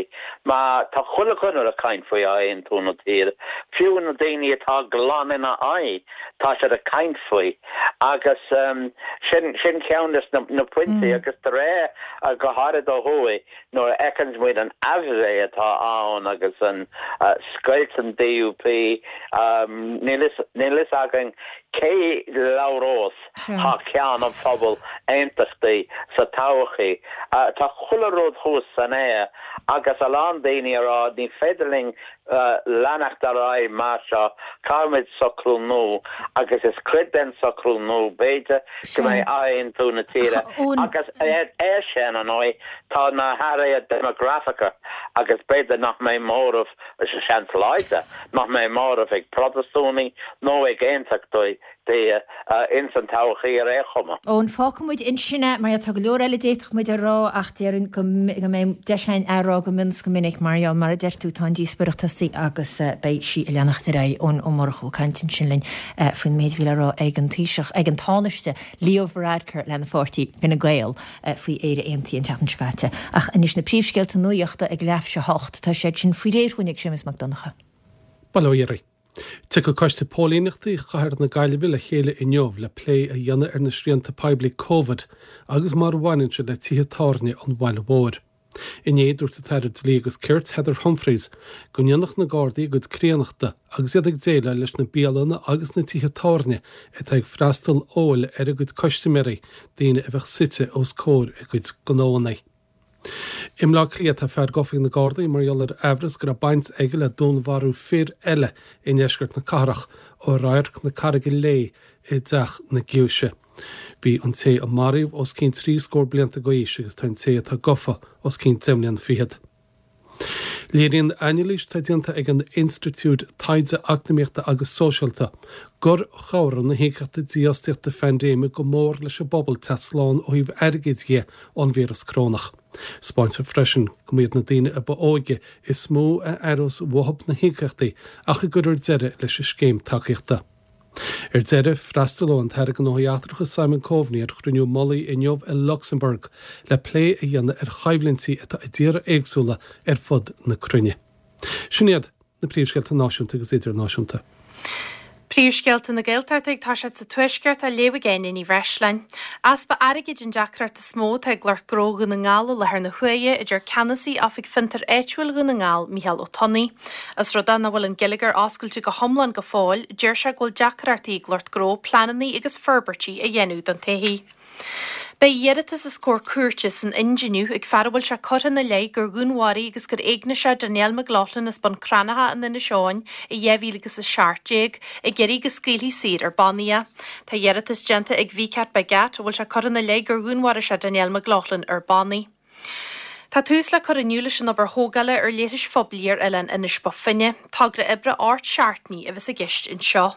má tá chuile dhuine ag caint faoi aontú na tíre fiú na daoine atá glan ina aghaidh tá siad ag caint faoi agus um, sin sin ceann de na, na pointí mm. agus de réir uh, go háirithe ó thuaidh nuair a fheiceann muid an aimhréidh atá ann agus an uh, scoilt an D U P um, níl a fhios againn cé labhrós thar ceann an phobail aontachtaí sa todhchaí. Tá chuile rud thuas san aer agus a lán daoine ag rá ní féidir linn leanacht ar aghaidh mar seo, caithfimid socrú nua agus is cuid den socrú nua b'fhéidir go mbeidh athaontú na tíre agus air sin ar ndóigh tá na hathruithe déimeagrafacha agus b'fhéidir nach mbeidh móramh, seans láidir nach mbeidh móramh ag Protastúnaigh nó ag Aontachtaithe ins an todhchaí ar aon chuma. Eoin, fágfaidh muid ansin é mar tá go leor eile d'fhéadfadh muid a rá ach déarfainn go mbeidh deis againn é a rá go mion is go minic mar gheall mar a deir tú tá an díospóireacht tosaithe agus beidh sí ag leanacht ar aghaidh. Eoin Ó Murchú ag caint ansin linn faoin méid a bhí le rá ag an Taoiseach, ag an Tánaiste Leo Varadkar lena pháirtí Fine Gael faoi Éire Aontaithe an tseachtain seo caite. Ach anois na príomhscéalta nuachta ag leathuair théis a hocht, tá siad sin faoi réir dúinn ag Séamus Mac Donncha. Bail ó Dhia oraibh. Tiocfaidh Coiste Póilíneachta Chathair na Gaillimhe le chéile inniu le plé a dhéanamh ar na srianta poiblí Covid agus mar a bhaineann siad le tithe tábhairne an bhaile mhóir. Inné dúirt an tAire Dlí agus Cirt Heather Humphreys go ndéanfadh na Gardaí a gcuid críonnachta agus iad ag déileáil leis na bialanna agus na tithe tábhairne atá ag freastal óil ar a gcuid custaiméirí, daoine a bheadh suite os comhair a gcuid gnóanna. I mBleá Cliath tá fear gafa ag na Gardaí mar gheall ar aimhreas go raibh baint aige le dúnmharú fir eile i ndeisceart na cathrach ó Radharc na Carraige Léith i dTeach na Giúise. Bhí an té a maraíodh os cionn trí scór blianta d'aois agus tá an té atá gafa os cionn deich mbliana fichead. Léiríonn anailís atá déanta ag an Institiúid Taighde Eacnamaíochta agus Sóisialta gur chabhraigh na híocaíochtaí dífhostaíochta phaindéime go mór leis an bpobal teacht slán ó thaobh airgid dhe ón víreas corónach. Spáintear freisin go mb'iad na daoine a ba óige is mó a aireos uathu na híocaíochtaí ach a gcuirfear deireadh leis an scéim tacaíochta. Ar deireadh, freastalóidh an tAire Gnóthaí Eachtracha Simon Coveney ar chruinniú mullaigh inniu i Lucsamburg le plé a dhéanamh ar choimhlintí atá i dtíortha éagsúla ar fud na cruinne. Sin iad na príomhscéalta náisiúnta agus idirnáisiúnta. Príomhscéalta na Gaeltachta ag toiseacht sa Tuaisceart á léamh ag Áine Ní Bhreisleáin. Easpa airgid an deacracht is mó atá ag lucht gnó Dhún na nGall i láthair na huaire, a deir ceannasaí Oifig Fiontar Áitiúil Dhún na nGall, Micheál Ó Tonnaigh. Ós rud é nach bhfuil an geilleagar oscailte go hiomlán go fóill, deir sé go bhfuil deacrachtaí ag lucht gnó pleananna agus forbairtí a dhéanamh don todhchaí. Beidh iarratas os comhair cúirte san Ind inniu ag fear a bhfuil sé curtha ina leith gur dhúnmharaigh agus gur éignigh sé Danielle McLaughlin as Bun Cranncha in Inis Eoghain i dhá mhíle agus a seacht déag, ag iarraidh go scaoilfí saor ar bannaí é. Tá iarratas déanta ag Vicat Bagat, a bhfuil sé curtha ina leith gur dhúnmharaigh sé Danielle McLaughlin ar bannaí. Tá tús le cur inniu leis an obair thógála ar leithris phoiblí ar oileán Inis Bó Finne. Togra oibre ocht seachtainí a bheas i gceist anseo.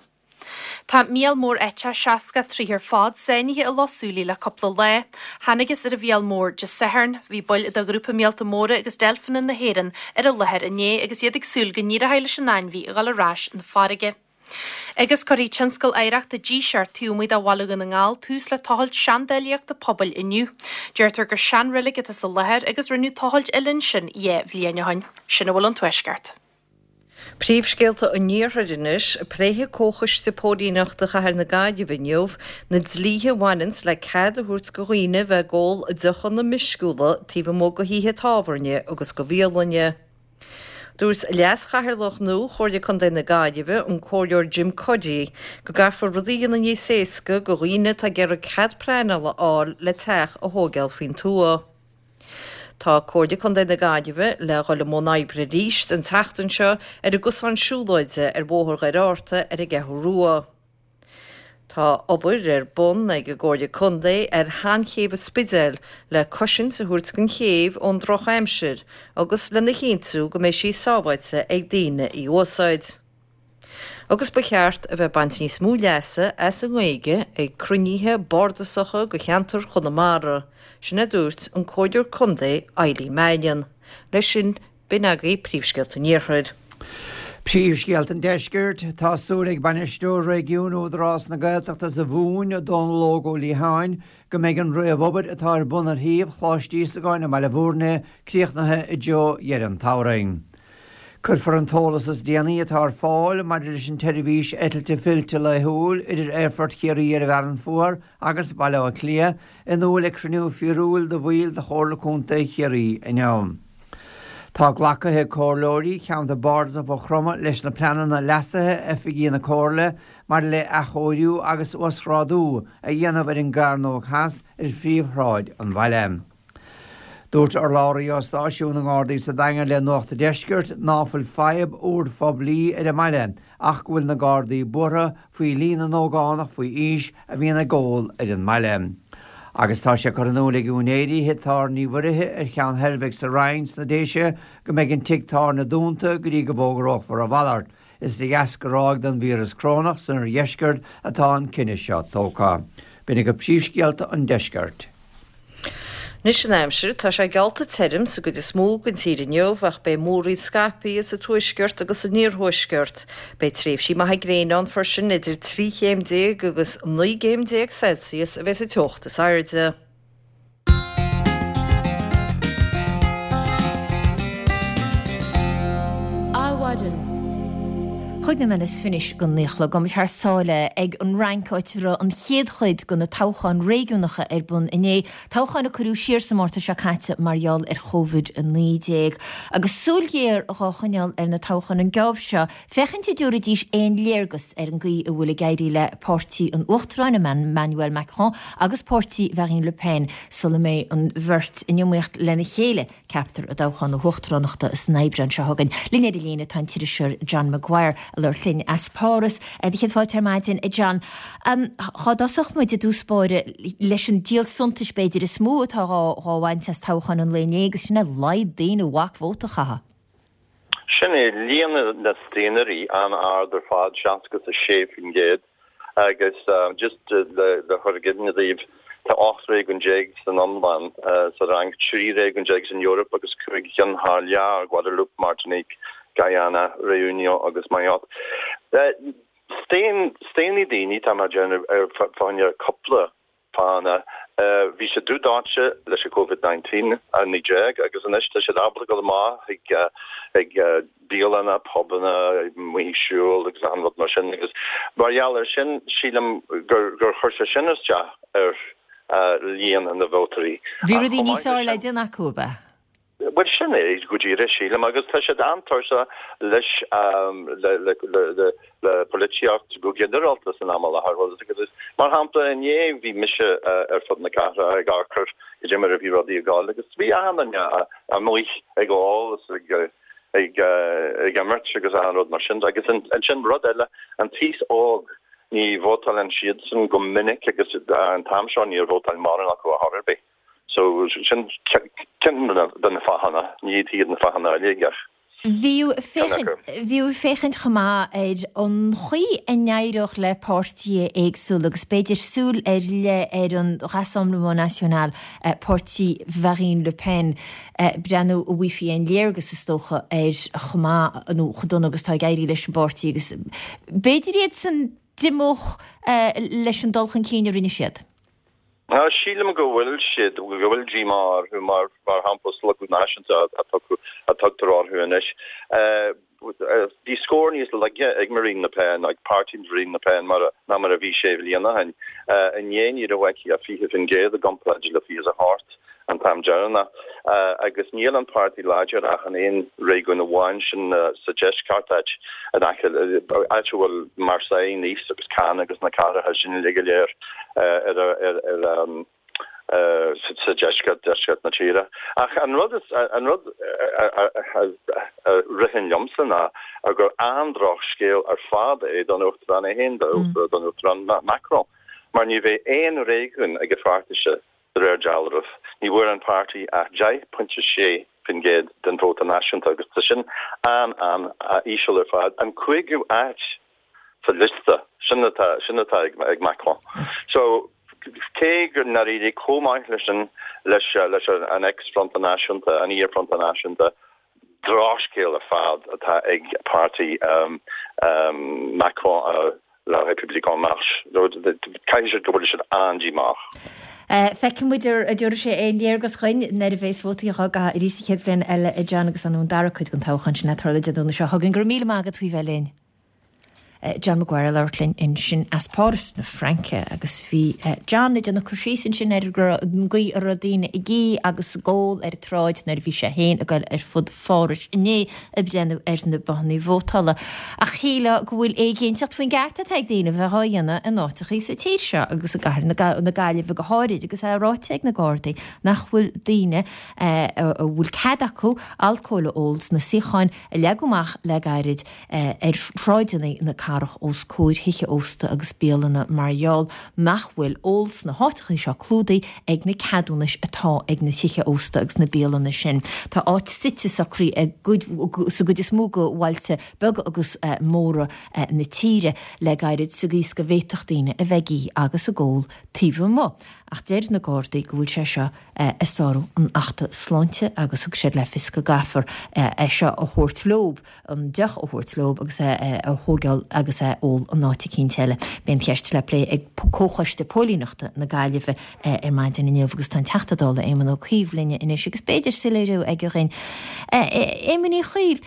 Tá míol mór eiteach seasca troigh ar fad sáinnithe i Loch Súilí le cúpla lá. Thángthas ar an mhíol mór Dé Sathairn. Bhí baill de ghrúpa Míolta Móra agus Deilfeanna na hÉireann ar an láthair inné agus iad ag súil go n-éireoidh leis an ainmhí a dhul ar ais 'na farraige. Agus cuirfidh Tionscal Oidhreachta Díseart taobh amuigh de Bhaile Dhún na nGall tús le tochailt seandálaíochta pobail inniu. Deirtear gur seanreilig atá sa láthair agus rinneadh tochailt eile ansin dhá bhliain ó shin. Sin a bhfuil ón Tuaisceart. Príomhscéalta an Iarthair anois, Pléifidh Comhchoiste Póilíneachta Chathair na Gaillimhe inniu na dlíthe a bhaineanns le cead a thabhairt go dhaoine bheith ag ól deochanna meisciúla taobh amuigh go thithe tábhairne agus go bhialainne. Dúirt Leas-Chathaoirleach nua Chomhairle Contae na Gaillimhe, an Comhairleoir Jim Cuddy, go gcaithfear rudaí a dhéanamh níos éasca go dhaoine atá ag iarraidh cead pleanála a fháil le teach a thóigeáil faoin tuath. Tá Comhairle Contae na Gaillimhe le dhul i mbun oibre arís an tseachtain seo ar an gcosán siúlóide ar Bhóthar Dhoire Fhatharta ar an gCeathrú Rua. Tá obair ar bun ag an gComhairle Contae ar sheanchéibh an Spidéil le cosaint a thabhairt don chéibh ón drochaimsir agus lena chinntiú go mbeidh sí sábháilte ag daoine í a úsáid. Agus ba cheart a bheith ag baint níos mó leasa as an nGaeilge ag cruinnithe bardasacha go cheantar Chonamara, sin a dúirt an Comhairleoir Contae Eileen Mannion. Leis sin, b'in agaibh príomhscéalta an Iarthair. Príomhscéalta an Deiscirt, Tá súil ag Bainisteoir Réigiúin Údarás na Gaeltachta sa Mhumhain, Dónal Óg Ó Liatháin, go mbeidh an réamhobair atá ar bun ar shuíomh Choláiste Íosagáin i mBaile Bhúirne críochnaithe i dtreo dheireadh an tsamhraidh. Cuirfear an t-eolas is déanaí atá ar fáil maidir leis an tseirbhís eitilte fillte laethúil idir Aerfort Chiarraí ar an bhFearann Fuar agus Baile Átha Cliath in iúl ag cruinniú fíorúil de bhaill de Chomhairle Contae Chiarraí inniu. Tá glactha ag comhairleoirí Cheantar Bardasach Mhaigh Chromtha leis na pleananna leasaithe oifigí na Comhairle maidir le athchóiriú agus uasghrádú a dhéanamh ar an gCearnóg Theas ar phríomhshráid an bhaile. Dúirt urlabhraí ó stáisiún na nGardaí sa Daingean le Nuacht an Deiscirt ná fuil fadhb úr phoiblí ar an mbaile ach go bhfuil na Gardaí buartha faoi líon na n-ógánach faoi aois a bhíonn ag ól ar an mbaile. Agus tá sé curtha in iúl ag úinéirí thigh tábhairne Uí Mhuirithe ar Cheann Heilbhic sa Rinn sna Déise go mbeidh an tigh tábhairne dúnta go dtí go bhfógrófar a mhalairt. Is de dheasca ráig den víreas corónach san oirdheisceart atá an cinneadh seo tógtha. B'in agaibh príomhscéalta an deiscirt. Anois an aimsir, tá sé geallta tirim sa gcuid is mó den tír inniu ach beidh múraíl scaipthe sa tuaisceart agus san iarthuaisceart. Beidh tréimhsí maithe gréine ann freisin, idir trí chéim déag agus naoi gcéim déag Celsius a bheidh sa teocht is airde. Adhmhaidin. Cúig nóiméad is fiche go naoi a chlog. Gabhfaidh muid thar sáile ag an Fhrainc áit a raibh an chéad chuid de na toghcháin réigiúnacha ar bun inné, toghcháin a cuireadh siar sa Márta seo caite mar gheall ar Covid a naoi déag. Agus súil ghéar dhá choinneáil ar na toghcháin an geábh seo, féachaint an dtabharfaidís aon léargas ar an gcaoi a bhfuil ag éirí le páirtí an Uachtaráin, Emmanuel Macron, agus páirtí Mharine Le Pen sula mbeidh an bheirt in iomaíocht lena chéile. Ceaptar i dtoghchán na huachtaránachta san Aibreán seo chugainn. Linn ar an líne tá an t-iriseoir John Maguire ag labhairt linn as Páras. Do chéad fáilte ar maidin, a John. Dhá dtosódh muid i dtús báire leis an díol suntais b'fhéidir is mó atá dhá bhaint as toghchán an lae inné agus sin é laghad daoine a bhac vóta a chaitheamh. Sin é, líon na staonairí an-ard ar fad, seasca is a sé faoin gcéad, agus just le cur i gcuimhne daoibh, tá ocht réigiún déag san iomlán sa Fhrainc, trí réigiún déag san Eoraip agus cúig cheann thar lear, Guadeloupe, Martinique, Guyana, Réunion agus Mayotte. Staon, staonfaidh daoine, tá mé ag déanamh, ar fá choinne cúpla fáthanna. Bhí siad dubh dóite leis an Covid nineteen, a naoi déag, agus anois tá siad ábalta dul amach chuig chuig bialanna, pubanna, amuigh ag siúl agus achan rud mar sin agus mar gheall air sin sílim gur gur chuir sé sin isteach ar líon na vótóirí. Bhí rudaí níos fearr le déanamh acu, ab ea? Bhuel, sin é go díreach, sílim, agus tá siad an-tuirseach leis le le polaitíocht go ginearálta san am i láthair. Bhuel, agus mar shampla, inné bhí mise ar fud na cathrach ag amharc ar cad é mar a bhí rudaí ag dul agus bhí achan duine amuigh ag ól is ag ag ag imirt agus achan rud mar sin. Agus ansin rud eile, an t-aos óg, ní vótálann siadsan go minic agus an t-am seo níor vótáil mórán acu ar chor ar bith. So sin ceann de na fáthanna, ní hiad na fáthanna uilig ach Bhíodh féachaint, bhíodh féachaint chomh maith ar an chaoi a n-éireodh le páirtithe éagsúla agus b'fhéidir súil ar leith ar an Rassemblement National, páirtí Mharine Le Pen, breathnú an bhfaighfí aon léargas is dócha ar chomh maith nó chomh dona agus atá ag éirí leis an bpáirtí agus b'fhéidir iadsan d'imeodh leis an dul chun cinn a rinne siad. Sílim go bhfuil siad, go bhfuil díomá orthu, mar mar shampla Slógadh Náisiúnta a tugtar orthu anois. Bhí scór níos laige ag Marine Le Pen, ag páirtí Marine Le Pen mar ná mar a bhí sé bhliain ó shin. Inné ní raibh aici ach fiche faoin gcéad i gcomparáid le fiche is a hocht an t-am deireanach. Agus níl an páirtí láidir ach in aon réigiún amháin, sin sa deisceart, áit in aice, áit a bhfuil Marseille, Nice agus Cannes agus na cathracha sin uilig go léir ar ar sa deisceart, deisceart na tíre. Ach an rud is, an rud a ritheann liomsa ná gur an-drochscéal ar fad é don Uachtarán é féin, don Uachtarán Macron, mar ní bheidh aon réigiún ag a pháirtise De réir dealraimh, ní bhfuair an páirtí ach deich pointe sé faoin gcéad den vóta náisiúnta agus tá sin an-an-íseal ar fad, an cúigiú áit sa liosta, sin atá sin atá ag Macron. So, cé gur nár éirigh chomh maith leis an leis leis an ex-Fronta Náisiúnta, an iar-Fronta Náisiúnta, Drochscéal ar fad atá ag páirtí Macron, La République En Marche. Caithfidh siad go bhfuil siad an-díomách. Feicfidh muid an dtabharfaidh sé aon léargas dhuinn nuair a bheas vótaí á gcaitheamh arís an chéad bhliain eile, a John, agus an dara cuid den toghchán sin le tarlú Dé Domhnaigh seo chugainn. Go raibh míle maith agat faoi bheith linn. John Maguire ag labhairt linn ansin as Páras na Fraince agus bhí John ag déanamh cur síos ansin ar an gcaoi a raibh daoine ag ithe agus ag ól ar an tsráid nuair a bhí sé féin ag dul ar fud Phárais inné ag breathnú ar na bothanna vótála. Ach shílfeá go bhfuil éiginnteacht faoin gceart atá ag daoine bheith á dhéanamh in áiteachaí sa tír seo agus i gcathair na Gaillimhe go háirid agus é ráite ag na Gardaí nach bhfuil daoine a bhfuil cead acu alcól a ól sna suíocháin a leagadh amach le gairid ar shráideanna na cathrach os comhair thithe ósta agus bialanna mar gheall nach bhfuil ól sna háiteachaí seo clúdaithe ag na ceadúnais atá ag na tithe ósta agus na bialanna sin. Tá áit suite socraithe sa gcuid is mó de bhailte beaga agus móra na tíre le gairid sa gcaoi is go bhféadfadh daoine a bheith ag ithe agus ag ól taobh amuigh. Ach deir na Gardaí go bhfuil sé seo ag sárú an Achta Sláinte agus thug siad le fios go gcaithfear é seo a thabhairt leob, an deoch a thabhairt leob agus é a thógáil agus é a ól in áit eicínt eile. Beidh an cheist le plé ag Comhchoiste Póilíneachta na Gaillimhe ar maidin inniu agus tá an Teachta Dála Éamon Ó Cuív linne anois agus b'fhéidir soiléiriú aige dhúinn. Éamon Uí Chuív,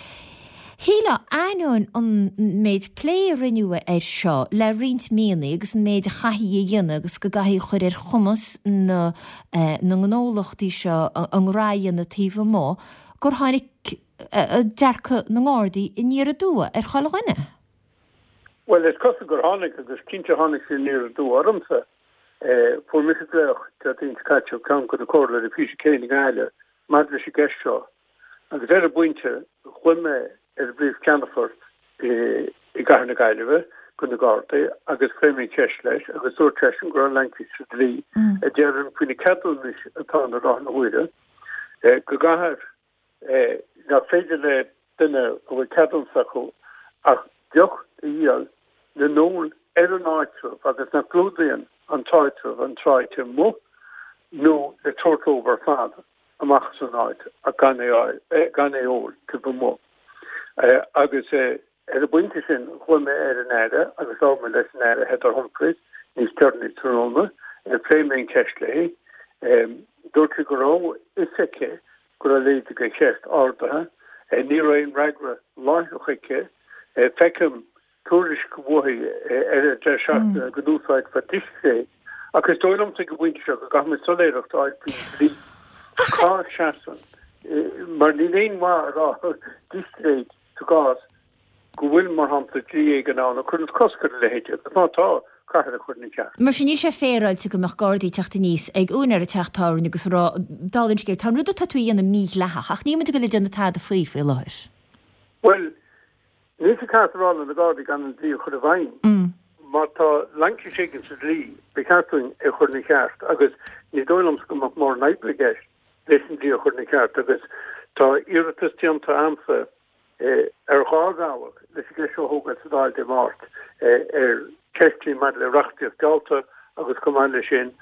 Shílfeá, ainneoin an méid plé a rinneadh air seo le roinnt míonna agus an méid a chaithfí a dhéanamh agus go gcaithfí a chur ar chumas na na ngnólachtaí seo a ngnó a dhéanamh taobh amuigh, gur tháinig dearcadh na nGardaí aniar aduaidh ar chuile dhuine. Bhuel, is cosúil gur tháinig agus cinnte tháinig sé aniar aduaidh ormsa. Fuair mise glaoch Déardaoin seo caite ó cheann de na comhairleoirí Peter Kane i nGaillimh maidir leis an gceist seo agus ar an bpointe ghlaoigh mé ar an bPríomh-Cheannfort i gCathair na Gaillimhe de na Gardaí agus phléigh mé an cheist leis agus dúirt seisean go raibh laincis sa dlí a deireann faoi na ceadúnais atá ann i láthair na huaire go gcaithfear nach féidir le duine a bhfuil ceadúnas acu ach deoch a dhíol le n-ól ar an áitreabh agus nach gclúdaíonn an t-áitreabh an tsráid amuigh nó le tabhairt leo ar fad amach as an áit ach gan é gan é ól taobh amuigh. Agus ar an bpointe sin ghlaoigh mé ar an Aire agus labhair mé leis an Aire Heather Humphreys níos deireanaí tráthnóna, phléigh mé an cheist léi. Dúirt sí go raibh fhios aici go raibh a leithéid de cheist ardaithe. Ní raibh aon fhreagra láithreach aici. Feicim tuairisc uaithi ar an deireadh seachtaine go n-úsáidfear discréid. Ach is dóigh liomsa ag an bpointe seo go gcaithfimid soiléireacht a fháil faoin dlí. Cá seasann? Mar níl aon mhaith a rá discréid sa gcás go bhfuil, mar shampla, dlí éigin ann a chuireann cosc ar a leithéid agus má tá, caithfear é a chur ina cheart. Mar sin, níl sé féaráilte go mbeadh Gardaí ag teacht aníos ag úinéir an teach tábhairne agus a rá, dála an scéil, tá an rud atá tú a dhéanamh mídhleathach ach níl muid ag dul ag déanamh tada faoi faoi láthair. Bhuel, níl sé ceart a rá le na Gardaí gan an dlí a chur i bhfeidhm. Má tá laincis éigin sa dlí, ba cheart dúinn é a chur ina cheart agus ní dóigh liomsa go mbeadh mórán oibre i gceist leis an dlí a chur ina cheart agus tá iarratas déanta a'msa ar dhá bhealach leis an gceist seo a thógáil sa Dáil Dé Máirt, ar cheist maidir le reachtaíocht geallta agus chomh maith leis sin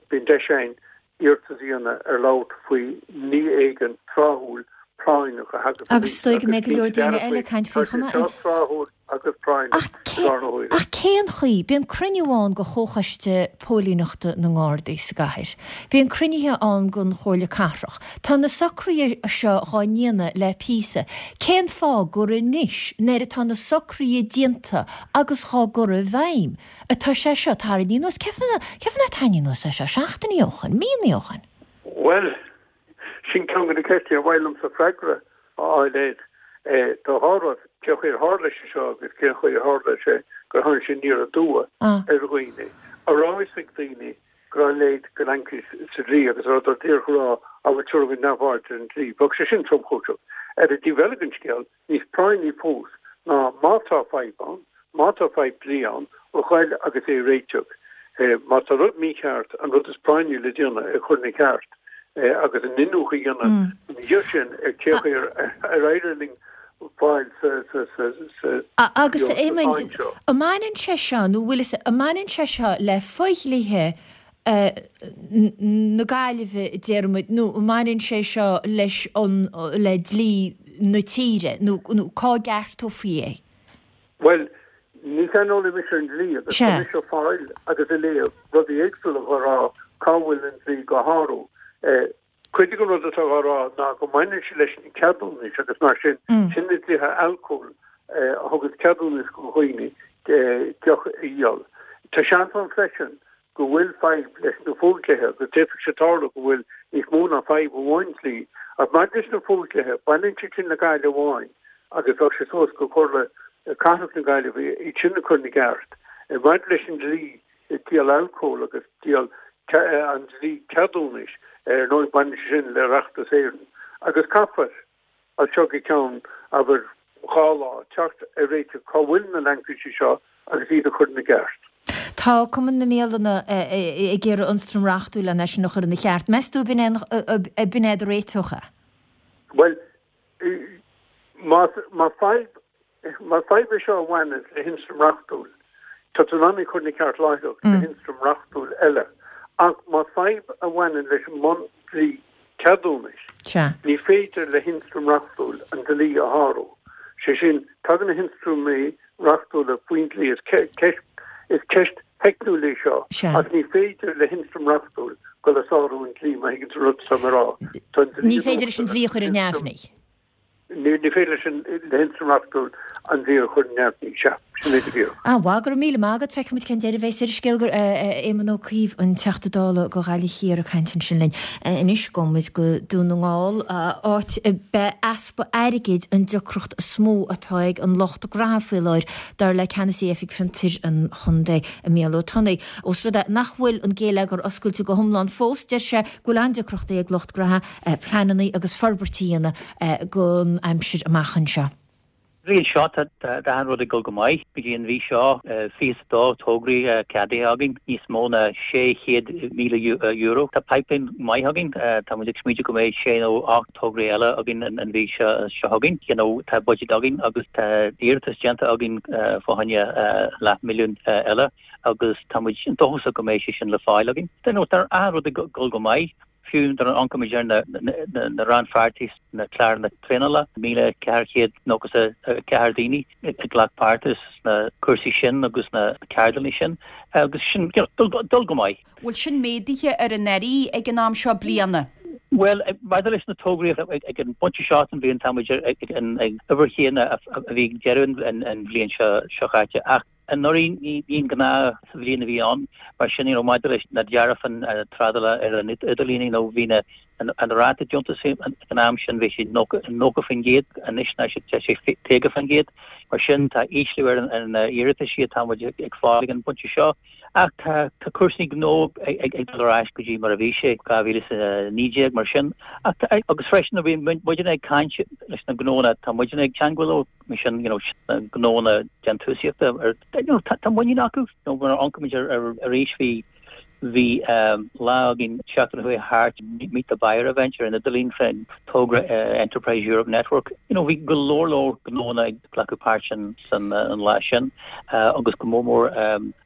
bíonn deis againn iarratas a dhéanamh ar labhairt faoi ní éigin tráthúil práinneach a thagann Agus is dóigh go mbeidh go leor daoine eile ag caint faoi chomh maith. Tá sé seo tráthúil agus práinneach i láthair na huaire. Ach cén chaoi? Bíonn cruinniú ann de Chomhchoiste Póilíneachta na nGardaí sa gcathair. Bíonn cruinnithe ann den Chomhairle Cathrach. Tá na socruithe seo dhá ndéanamh le píosa. Cén fáth gur anois, nuair atá na socruithe déanta agus dhá gcur i bhfeidhm, atá sé seo tarraingthe anuas? Cén fáth nár tarraingíodh anuas é seo seachtainí ó shoin, míonna ó shoin? Bhuel, sin ceann de na ceisteanna ar mhaith liomsa freagra a fháil air. Tá dhá rud, cén chaoi ar tharla sé seo agus cén chaoi ar tharla sé gur tháinig sé aniar aduaidh ar dhaoine. An raibh a fhios ag daoine go raibh a leithéid de laincis sa dlí agus an rabhadar díreach ag rá á bhuel tabharfaidh muid neamhaird ar an dlí. Bheadh sé sin tromchúiseach. Ar an dtaobh eile den scéal, Níos práinní fós ná má tá fadhb ann, má tá fadhb dlí ann, a ghoil agus é a réiteach. Má tá rud mícheart, an rud is práinní le déanamh, é a chur ina cheart agus an iniúchadh a dhéanamh ina dhiaidh sin ar cé chaoi ar éirigh linn fáil sa Agus a Éamoinn, tsáinn seo. an mbaineann sé seo, nó bhfuil fhios, an mbaineann sé seo le fodhlíthe na Gaillimhe, déarfaimid, nó an mbaineann sé seo leis an, le dlí na tíre, nó cá gceartófaí é? Bhuel, ní saineolaí mise ar an dlí agus tá mise ag fáil agus ag léamh rudaí éagsúla dhá rá cá bhfuil an dlí dhá shárú. Cuid den rud atá dhá rá ná go mbaineann sé leis na ceadúnais agus mar sin, sin na dlíthe alcóil a thugann ceadúnas do dhaoine deoch a dhíol. Tá seans ann freisin go bhfuil fadhb leis na fodhlíthe agus d'fhéadfadh sé tarlú go bhfuil níos mó ná fadhb amháin dlí. Ach maidir leis na fodhlíthe, baineann siad sin le Gaillimh amháin agus bheadh sé suas go Comhairle Cathrach na Gaillimhe iad sin a chur ina gceart. Maidir leis an dlí díol alcóil agus díol an dlí ceadúnais, ar ndóigh baineann sé sin le Oireachtas Éireann agus caithfear as seo go ceann, abair, dhá lá, teacht ar réiteach cá bhfuil na laincisí seo agus iad a chur ina gceart. Tá Cumann na mBialanna ag iarraidh ionstraim reachtúil lena sin a chur ina cheart. Meas tú ab in é do réiteach é? Bhuel, más fadhb, más fadhb é seo a bhaineann le hionstraim reachtúil, tá tú in ann í a chur ina ceart láithreach le hionstraim reachtúil eile. Ach más fadhb a bhaineann leis an mbun-dlí ceadúnais, ní féidir le hionstraim reachtúil an dlí a shárú. Sé sin, tagann na hionstraimí reachtúla faoin dlí, is ceist theicniúil í seo, ach ní féidir le hionstraim reachtúil dul ag sárú an dlí, má thuigeann tú an rud atá mé a rá. Tá an dlí Ní féidir leis an dlí a chur ar neamhní. Ní féidir leis an le hionstraim reachtúil an dlí a chur ar neamhní. Sea, sin é go díreach. Ah, mhaith, go raibh míle maith agat. Feicfimid cén deireadh a bheas ar an scéal gur Éamon Ó Cuív, an Teachta Dála do Ghaillimh Thiar ag caint ansin linn. Anois gabhfaidh muid go Dún na nGall, áit a b'é easpa airgid an deacracht is mó atá ag an lucht gnaithe faoi láthair, dar le Ceannasaí Oifig Fiontair an Chontae, Micheál Ó Tonnaigh. Ós rud é nach bhfuil an géilleagar oscailte go hiomlán fós, deir sé go bhfuil an-deacrachtaí ag lucht gnaithe pleananna agus forbairt a dhéanamh don aimsir amach anseo. Bhliain seo tá achan rud ag dul go maith. Go dtí an mhí seo fiche is a dó tograí ceadaithe againn, níos mó ná sé chéad míle euro. Tá pipeline maith againn. Tá muid ag smaointiú go mbeidh sé nó ocht tograí eile againn an mhí seo chugainn. You know tá budget againn agus tá iarratas déanta againn fá choinne leath milliún eile agus tá muid dóchasach go mbeidh sé sin le fáil againn. Tá achan rud ag dul go maith. Fiú nuair a amharcaimid ar na rannpháirtithe sna cláranna traenála, míle ceathair chéad nócha is a ceathair daoine a ghlac páirt sna cúrsaí sin agus sna ceardlanna sin agus sin dul go maith. Bhfuil sin méadaithe ar anuraidh ag an am seo bliana? Bhuel, maidir leis na tograí ag an bpointe seo den bhliain tá muid ag an uimhir chéanna a bhí ag deireadh an bhliain seo caite ach Anuraidh ní an gnáthbhliain a bhí ann, mar sin you know maidir leis na dearcháin trádála ar an idirlíon you know bhí na an ráta deontais ag an am sin bhí sé nócha faoin gcéad, anois tá sé caoga faoin gcéad. Mar sin tá ísliú ar na iarrataisí atá muid ag fáil ag an bpointe seo. Ach tá cúrsaí gnó ag dul ar ais go dtí mar a bhí sé dhá mhíle is a naoi déag mar sin. Ach agus freisin nuair a bhíonn muidne ag caint leis na gnónna tá muidne ag teagmháil leo, mar sin you know gnónna déantúsaíochta ar you know tá muinín acu you know nuair a amharcaimid ar arís bhí bhí lá againn seachtain a chuaigh thart Meet the Buyer event ar an idirlíon fén togra Enterprise Europe Network you know bhí go leor leor gnónna ag glacadh páirt san san an lá sin agus go mór mór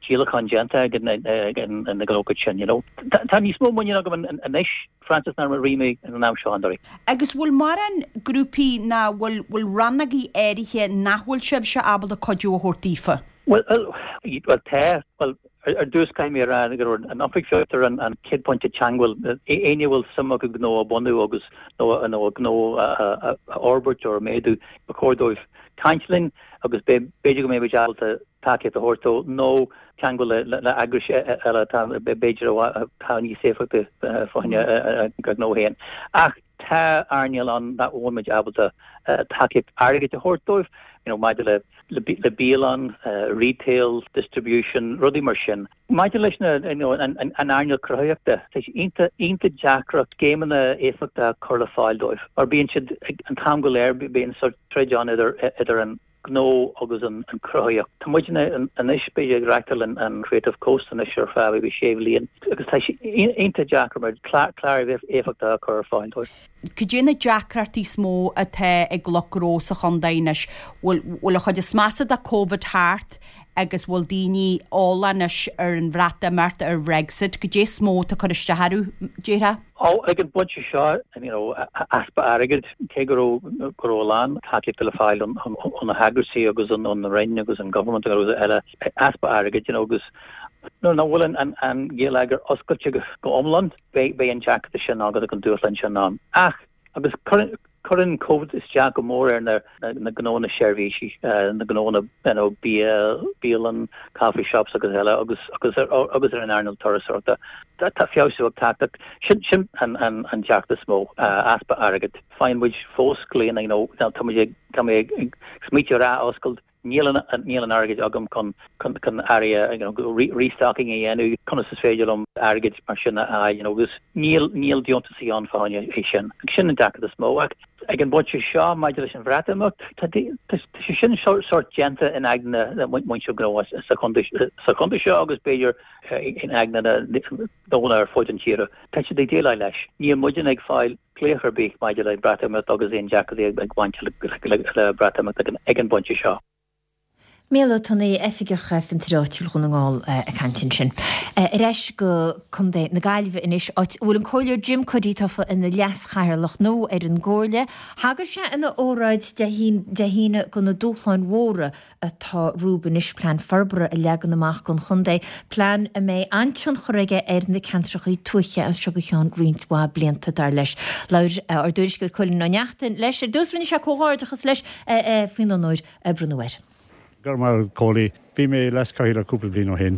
díolachán déanta ag na gnóthaí sin you know tá níos mó muinín agam anois Frances ná mar a bhí mé an am seo anuraidh. Agus bhfuil mórán grúpaí ná bhfuil bhfuil rannógaí áirithe nach bhfuil sibhse ábalta cuidiú a thabhairt daofa? Bhuel, bhuel tá. Bhuel, ar dtús caithfidh mé a rá go raibh an Oifig Fiontair an an chéad pointe teagmháil. Éinne a bhfuil suim acu gnó a bhunú agus nó nó a gnó a a a fhorbairt or a méadú, ba chóir dóibh caint linn agus b'fhéidir go mbeimid ábalta tacaíocht a thabhairt dó nó teagmháil le heagrais eile atá b'fhéidir atá níos éifeachtaí fá choinne a ngnó féin. Ach tá earnáil ann nach bhfuil muid ábalta tacaíocht airgid a thabhairt dóibh, you know, maidir le le bialann, retail, distribution, rudaí mar sin. Maidir leis na, you know, an earnáil cruthaitheachta, tá sé iontach, iontach deacair scéimeanna éifeachtacha a chur le fáil dóibh mar bíonn siad an t-am go léir, bíonn sórt troid ann idir idir an gnó agus an cruthaitheacht. Tá muidne anois, b'fhéidir, ag reachtáil an Creative Coast anois ar feadh maybe sé bhliain agus tá sé iontach deacair mar clár éifeachtach a chur ar fáil dóibh. Cad é na deacrachtaí is mó atá ag lucht gnó sa chontae anois? Bhfuil bhfuil an chuid is measa de Covid thart agus bhfuil daoine eolach anois ar an Bhreatimeacht, ar Bhrexit? Cad é is mó atá ag cur isteach orthu, déarfá? Ó, ag an bpointe seo, you know, easpa airgid, cé go raibh go raibh a lán tacaíochta le fáil ó na heagraisí agus ón Roinn agus an government agus eile, easpa airgid, you know, agus nuair nach bhfuil an an geilleagar oscailte go iomlán, beidh beidh an deacrachta sin ann agus an dúshlán sin ann. Ach, agus cuireann Cuireann Covid isteach go mór ar na na gnónna seirbhísí, na gnónna you know, bia, bialann, coffee shops agus eile agus agus ar agus ar an earnáil turasóireachta. Tá feabhsú ag teacht ach sin sin an an an deacracht is mó, easpa airgid. Faigheann muid fós glaonna you know, tá muid ag tá mé ag smaoitiú ar athoscailt Níl an níl an airgead agam chun chun chun earraí you know restocking a dhéanamh, conas is féidir liom airgead mar sin a fháil you know agus níl níl deontasaí ann fá choinne é sin. Agus sin an deacracht is mó ach ag an bpointe seo maidir leis an Bhreatimeacht tá tá sé sin sórt déanta in aigne na muintir gnó sa chontae sa chontae seo agus b'fhéidir in aigne na ndaoine ar fud an tíre. Tá siad ag déileáil leis. Níl muidne ag fáil glaoch ar bith maidir le Breatimeacht agus aon deacrachtaí ag baint le Breatimeacht ag an bpointe seo. Mícheál Ó Tonnaigh, Oifigeach Fiontair Áitiúil Dhún na nGall ag caint ansin. Ar ais go Contae na Gaillimhe anois, áit a bhfuil an Comhairleoir Jim Cuddy tofa ina leas-chathaoirleach nua ar an gComhairle. Thagair sé ina óráid Dé hAoine do na dúshláin mhóra atá rompu anois plean forbartha a leagan amach don chontae, plean a mbeidh an-tionchar aige ar na ceantracha tuaithe as seo go ceann roinnt mhaith blianta, dar leis. Labhair ár dtuairisceoir Cóilín Ó Neachtain leis ar dtús, rinne sé comhghairdeachas leis faoin onóir a bronnadh air. Go raibh maith agat Cóilí. Bhí mé leas-chathaoirleach cúpla bliain ó shin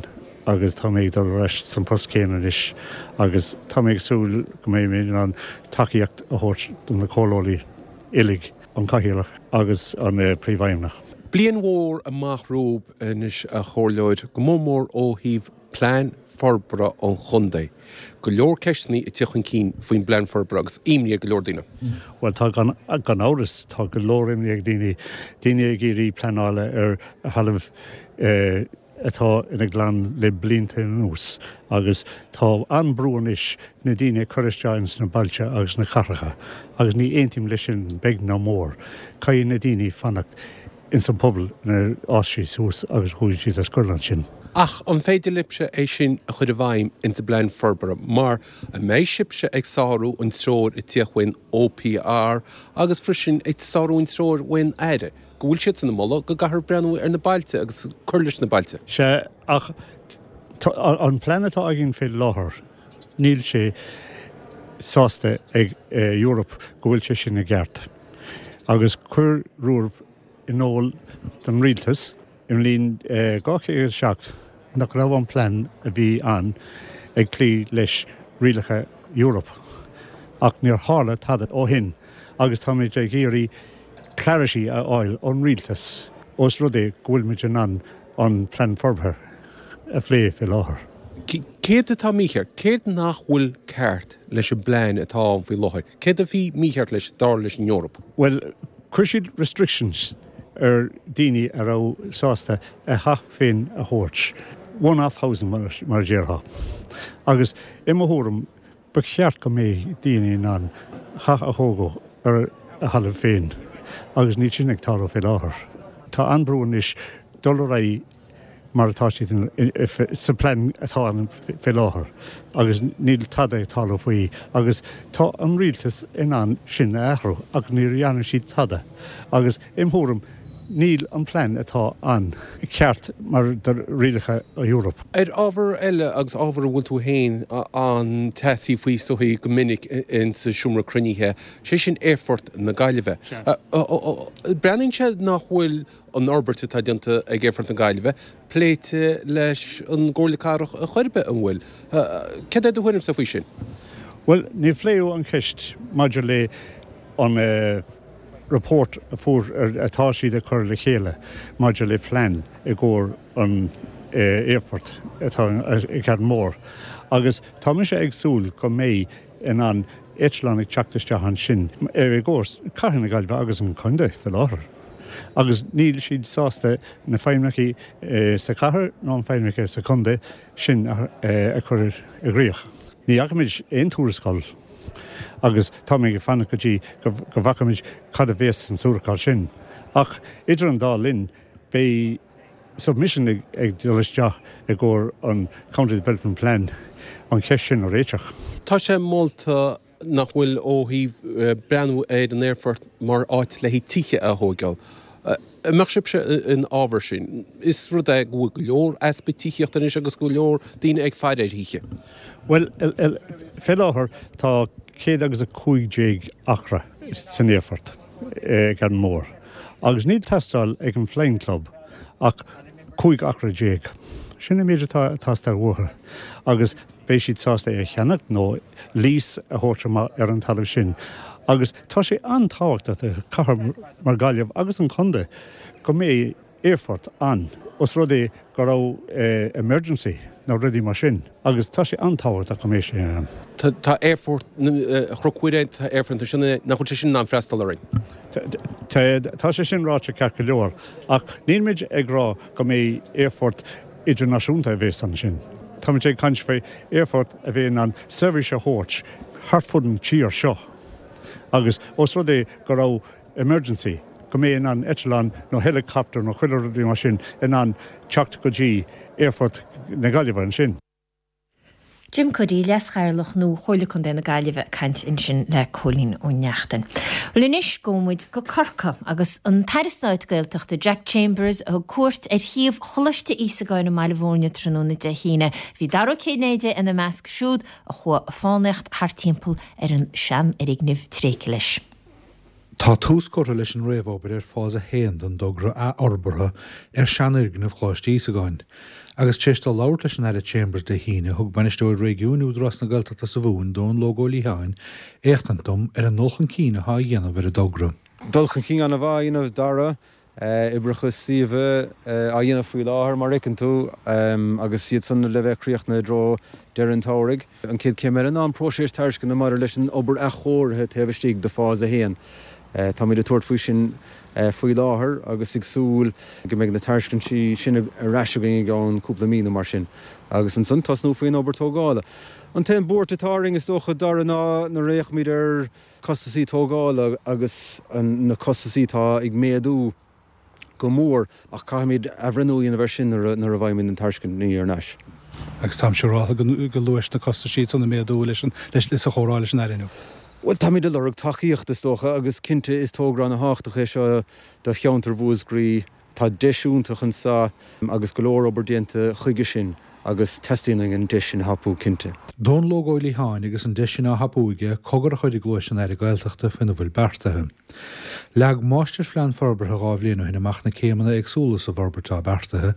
agus tá mé ag dul ar ais san post céanna anois agus tá mé ag súil go mbeidh mé in ann tacaíocht a thabhairt do na comhairleoirí uilig, an Cathaoirleach agus an Príomhfheidhmeannach. Bliain mhór amach romhaibh anois, a Chomhairleoir, go mór mór ó thaobh plean forbartha an chontae. Go leor ceisteanna ag teacht chun cinn faoin bplean forbartha agus imní ar go leor daoine. Bhuel, tá, gan amhras, tá go leor imní ag daoine. Daoine ag iarraidh pleanála ar thalamh atá ina ghleann le blianta anuas agus tá an-brú anois na daoine a chur isteach ins na bailte agus na cathracha agus ní aontaím leis sin beag ná mór. Caithfidh na daoine fanacht ins an pobal inar fhás siad suas agus chuaigh siad ar scoil ansin. Ach an féidir libhse é sin a chur i bhfeidhm ins an bplean forbartha mar an mbeidh sibhse ag sárú an treoir ag tíocht ón OPR agus freisin ag sárú an treoir ón Aire? go bhfuil siadsan ag moladh go gcaithfear breathnú ar na bailte agus cur leis na bailte. Sea, ach an plean atá againn fé láthair, níl sé sásta ag Europe go bhfuil sé sin i gceart. Agus chuir Europe in iúl don rialtas i mbliain dhá chéad a seacht nach raibh an plean a bhí ann ag cloí leis rialacha Europe. Ach níor tharla tada ó shin agus táimid ag iarraidh clarity a fháil ón rialtas ós rud é go bhfuil muid in ann an Plean Forbartha a phlé fé láthair. Céard atá mícheart? Céard nach bhfuil ceart leis an bplean atá ann faoi láthair? Céard a bhí mícheart leis, dar leis an Eoraip? Bhuel, chuir siad restrictions ar daoine a raibh sásta a theach féin a thabhairt, one-off housing mar a déarfá. Agus i mo thuairim, Ba cheart go mbeidh daoine in ann teach a thógadh ar a thalamh féin agus níl sin ag tarlú fé láthair. Tá an-brú anois dul ar aghaidh mar atá siad sa plean atá ann fé láthair agus níl tada ag tarlú faoi agus tá an rialtas in ann sin a athrú ach níor dhearna siad tada agus im thuairim Níl an plean atá ann ceart mar do rialacha Europe. Ar ábhar eile, agus ábhar a bhfuil tú féin an-teasaí faoi is dóigh go minic insa seomra cruinnithe, sé sin Aerfort na Gaillimhe. Breathnaíonn sé nach bhfuil an fhorbairt atá déanta ag Aerfort na Gaillimhe pléite leis an gComhairle Cathrach ar chor ar bith, an bhfuil? Céard é do thuairimse faoi sin? Bhuel, níor phléadh an cheist maidir le an report a fuair atá siad ag cur le chéile maidir le plean i gcomhair an aerfort atá i gCarnmore agus tá mise ag súil go mbeidh in ann eitleán ag teacht isteach ansin i gcomhair cathair na Gaillimhe agus an contae fé láthair agus níl siad sásta na feidhmeannachaí sa chathair ná an feidhmeannachaí sa chontae sin a chur i gcrích. Ní fhacaimid aon tuarascáil agus táimid ag fanacht go dtí go bhfeicfimid cad a bhéas san tuarascáil sin. Ach idir an dá linn beidh submission ag dul isteach i gcomhair an County Development Plan an cheist sin a réiteach. Tá sé molta nach bhfuil ó thaobh breathnú ar an aerfort mar áit le haghaidh tithe a thóigeáil. An mbeadh sibhse in fhabhar sin? Is rud é go bhfuil go leor easpa tithíochta anois agus go leor daoine ag faire ar thithe. Bhuel, fé láthair tá céad agus a cúig déag acra san aerfort ag an Mór. Agus níl teastáil ag an Flying Club ach cúig acra déag. Sin an méid atá ag teastáil uathu. Agus beidh siad sásta é a cheannach nó lease a thabhairt amach ar an talamh sin. Agus tá sé an-tábhachtach do chathair mar Gaillimh agus an contae go mbeidh aerfort ann, os rud é go raibh emergency nó rudaí mar sin. Agus tá sé an-tábhachtach go mbeidh sé ann. Tá aerfort Chnoc Mhuire, tá aerfort ansin, nach bhfuil sé sin in ann freastal orainn? Tá sé sin ráite ceart go leor, ach nílmid ag rá go mbeidh aerfort idirnáisiúnta a bheas ansin. Táimid ag caint faoi aerfort a bheidh in ann seirbhís a thabhairt thart fud an tír seo. Agus os rud é go raibh emergency, go mbeidh in ann eitleán nó helicopter nó chuile rudaí mar sin in ann teacht go dtí aerfort na Gaillimhe ansin. Jim Cuddy, Leas-Chathaoirleach nua Chomhairle Contae na Gaillimhe ag caint ansin le Cóilín Ó Neachtain. Bhuel anois gabhfaidh muid go Corcaigh agus an tAire Stáit Gaeltachta Jack Chambers a thug cuairt ar shuíomh Choláiste Íosagáin i mBaile Bhúirne tráthnóna Dé hAoine. Bhí Dara Ó Cinnéide ina measc siúd a chuaigh ag fánaíocht thart timpeall ar an seanfhoirgneamh tréigthe leis. Tá tús curtha leis an réamhobair ar Phase a haon den dtogra athfhorbartha ar seanfhoirgneamh Choláiste Íosagáin. Agus tar éis dó labhairt leis an Aire Chambers Dé hAoine, thug Bainisteoir Réigiúin Údarás na Gaeltachta sa Mhumhain, Dónal Óg Ó Liatháin, éachtaint dom ar an ndul chun cinn atá á dhéanamh ar an dtogra. Dul chun cinn an-mhaith á dhéanamh, Dara. Oibreacha suíomh á dhéanamh faoi láthair, mar a fheiceann tú, agus iad san le bheith críochnaithe i dtreo deireadh an tsamhraidh. An chéad chéim eile ná an próiseas tairisceana maidir leis an obair athchóirithe taobh istigh de Phase a haon. Táimid ag tabhairt faoi sin faoi láthair agus ag súil go mbeidh na tairiscintí sin ar ais againn i gceann cúpla mí nó mar sin agus ansan tosnú faoin obair tógála. An t-aon buairt atá orainn, is dócha, Dara, ná nuair a fhéachaimid ar chostasaí tógála agus na costasaí atá ag méadú go mór ach caithfimid athbhreithniú a dhéanamh air sin nuair a bhfaighimid na tairiscintí ar ais. Agus tá siúráilte go luais na costaisí san ag méadú leis an sa chomhrá leis an Aire inniu. Bhuel, táimid ag lorg tacaíocht, is dócha, agus cinnte is togra ana-thábhachtach é seo do cheantar Mhúscraí. Tá deis iontach anseo agus go leor obair déanta chuige sin agus teastaíonn uainn an deis sin a thapú, cinnte. Dónal Óg Ó Liatháin agus an deis sin á thapú aige cogar a chur i gcluais an Aire Gaeltachta faoina bhfuil beartaithe. Leag Máistirphlean Forbartha dhá bhliain ó shin amach na céimeanna éagsúla sa bhforbairt atá beartaithe,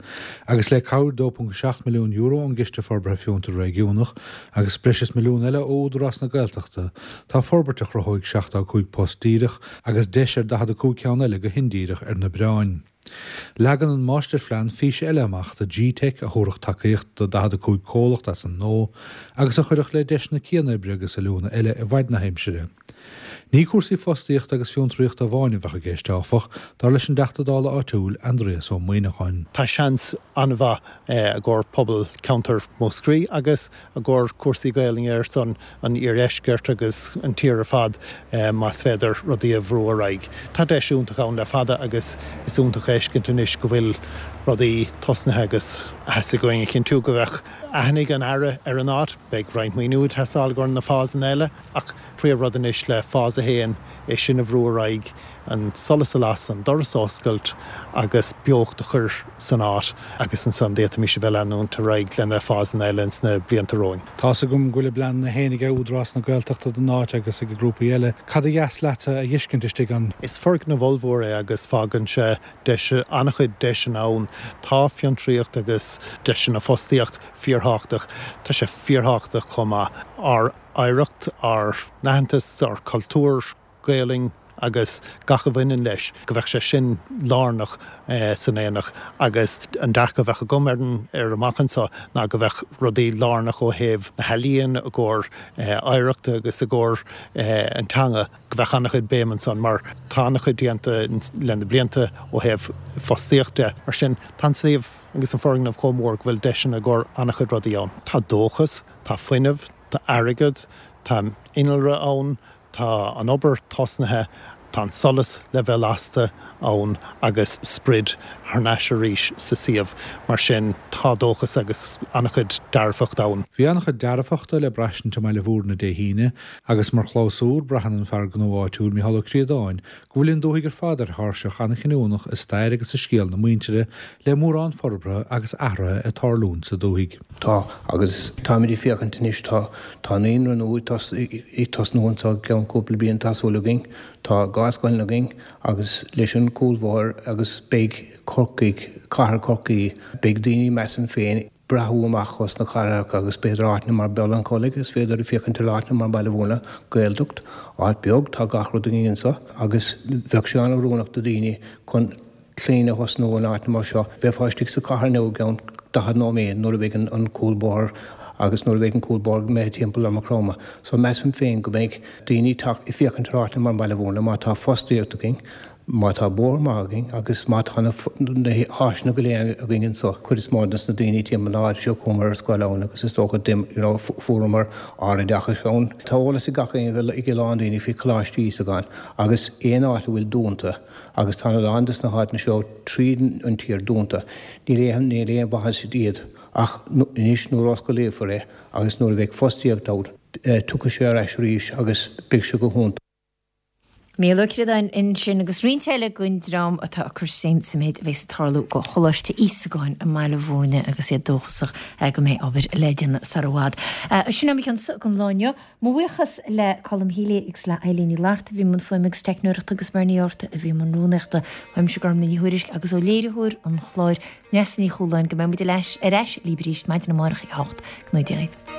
agus le cabhair dó ponc seacht milliún euro ón gCiste Forbartha Fiontar Réigiúnach agus breis is milliún eile ó Údarás na Gaeltachta, tá forbairt a chruthóidh seachtó a cúig post díreach agus deis ar daichead a cúig ceann eile go hindíreach ar na bioráin. Leagann an Máistirphlean fís eile amach do G-Teic a thabharfadh tacaíocht do daichead a cúig comhlacht as an ngnó agus a chuirfeadh le deiseanna cianoibre agus oiliúna eile i bhfaid na haimsire. Ní cúrsaí fostaíochta agus fiontraíochta amháin a bheadh i gceist, áfach, dar leis an dTeachta Dála áitiúil, Aindrias Ó Muimhneacháin. Tá seans an-mhaith i gcomhair pobal ceantar Mhúscraí agus i gcomhair cúrsaí Gaelainne ar son an iardheiscirt agus an tír ar fad más féidir rudaí a bhrú ar aghaidh. Tá deis iontach ann le fada agus is iontach a fheiscint anois go bhfuil rudaí tosnaithe agus theastaigh uainn a chinntiú go bheadh aithne ag an Aire ar an áit. Beidh roinnt maoiniú ag teastáil i gcomhair na fásanna eile ach príomhrud anois le Phase a haon é sin a bhrú ar aghaidh, an solas a lasadh, an doras a oscailt agus beocht a chur san áit agus ansan d'fhéadfaimis a bheith leanúint ar aghaidh le na fásanna eile ins na blianta romhainn. Tá's agam go bhfuil a bpleananna féin ag Údarás na Gaeltachta don áit agus ag grúpaí eile. Cad ba dheas leatsa a fheiscint istigh ann? Is foirgneamh ollmhór é agus fágann sé deis, an-chuid deiseanna ann. Tá fiontraíocht agus deiseanna fostaíocht fíorthábhachtach. Tá sé fíorthábhachtach chomh maith ár oidhreacht, ár n-aitheantas, ár cultúr Gaelainn agus gach a bhaineann leis, go bheadh sé sin lárnach san aonach agus an dearcadh a bheadh agam ar an ar amach anseo ná go bheadh rudaí lárnach ó thaobh na healaíon i gcomhair oidhreachta agus i gcomhair an teanga, go bheadh an-chuid béim ansan mar tá an-chuid déanta le na blianta ó thaobh fostaíocht de. Mar sin tá an suíomh agus an foirgneamh chomh mór go bhfuil deiseanna i gcomhair an-chuid rudaí ann. Tá dóchas, tá fuinneamh, tá airgead, tá innealra ann, tá an obair tosnaithe Tá an solas le bheith lasta ann agus sprid thar n-ais arís sa suíomh. Mar sin, tá dóchas agus an-chuid dearfacht ann. Bhí an-chuid dearfachta le braistint i mBaile Bhúirne Dé hAoine agus mar chlabhsúr, braitheann an fear gnó áitiúil Micheál Ó Críodáin go bhfuil an dúthaigh ar fad ar thairseach an-chinniúnach i stair agus i scéal na muintire le mórán forbartha agus athraithe ag tarlúint sa dúthaigh. Tá, agus táimid ag féachaint anois, tá, tá naíonra nua ag tosnú anseo i gceann cúpla bliain, tá súil againn. Tá dhá scoileanna againn agus leis an cúlbhóthar agus beidh Corcaigh, cathair Chorcaí, beidh daoine, measaim féin, breathú amach os na cathracha agus b'fhéidir áiteanna mar Béal an Chollaigh, is féidir féachaint ar áiteanna mar Baile Bhúirne, Gaeltacht, áit beag, tá gach rud againn anseo agus bheadh sé an-oiriúnach do daoine chun clainn a thosnú in áiteanna mar seo. Bheifeá istigh sa chathair inniu i gceann daichead nóiméad nuair a bheidh an cúlbóthar agus nuair a bheidh an cúlbóthar imithe timpeall ar Maigh Chromtha. So measaim féin go mbeidh daoine ag teacht ag féachaint ar áiteanna mar Baile Bhúirne má tá fostaíocht againn, má tá bóthar maith againn agus má tá na háiseanna go léir againn anseo. Cuid is mó des na daoine timpeall na háite seo chuamar ar scoil ann agus is dócha you know fuaireamar ár oideachas ann. Tá eolas ag gach éinne ag a lán daoine faoi Choláiste Íosagáin agus aon áit a bhfuil dúnta agus tá a lán des na háiteanna seo tríd an tír dúnta. Níl aon níl aon mhaitheas iad ach anois nuair a osclaíofar é agus nuair a bheidh fostaíocht ann tiocfaidh sé ar ais arís agus beidh sé go hiontach. Mícheál Ó Críodáin ansin agus roinnt eile den dream atá ag cur suim sa méid a bheas ag tarlú go Choláiste Íosagáin i mBaile Bhúirne agus iad dóchasach go mbeidh obair le déanamh sar i bhfad. Sin é mo chionsa don lá inniu. Mo bhuíochas le Colm Healy agus le Eileen Ní Fhlatharta a bhí i mbun fuaime agus teicneoireachta agus Bernie Orta a bhí i mbun rúnaíochta. Uaimse Gormlaith Ní Thuairisg agus ó léiritheoir an chláir Neasa Ní Chualáin go mbeidh muid ar ais libh arís maidin amárach ag a hocht. Go ngnóthaí Dia dhaoibh.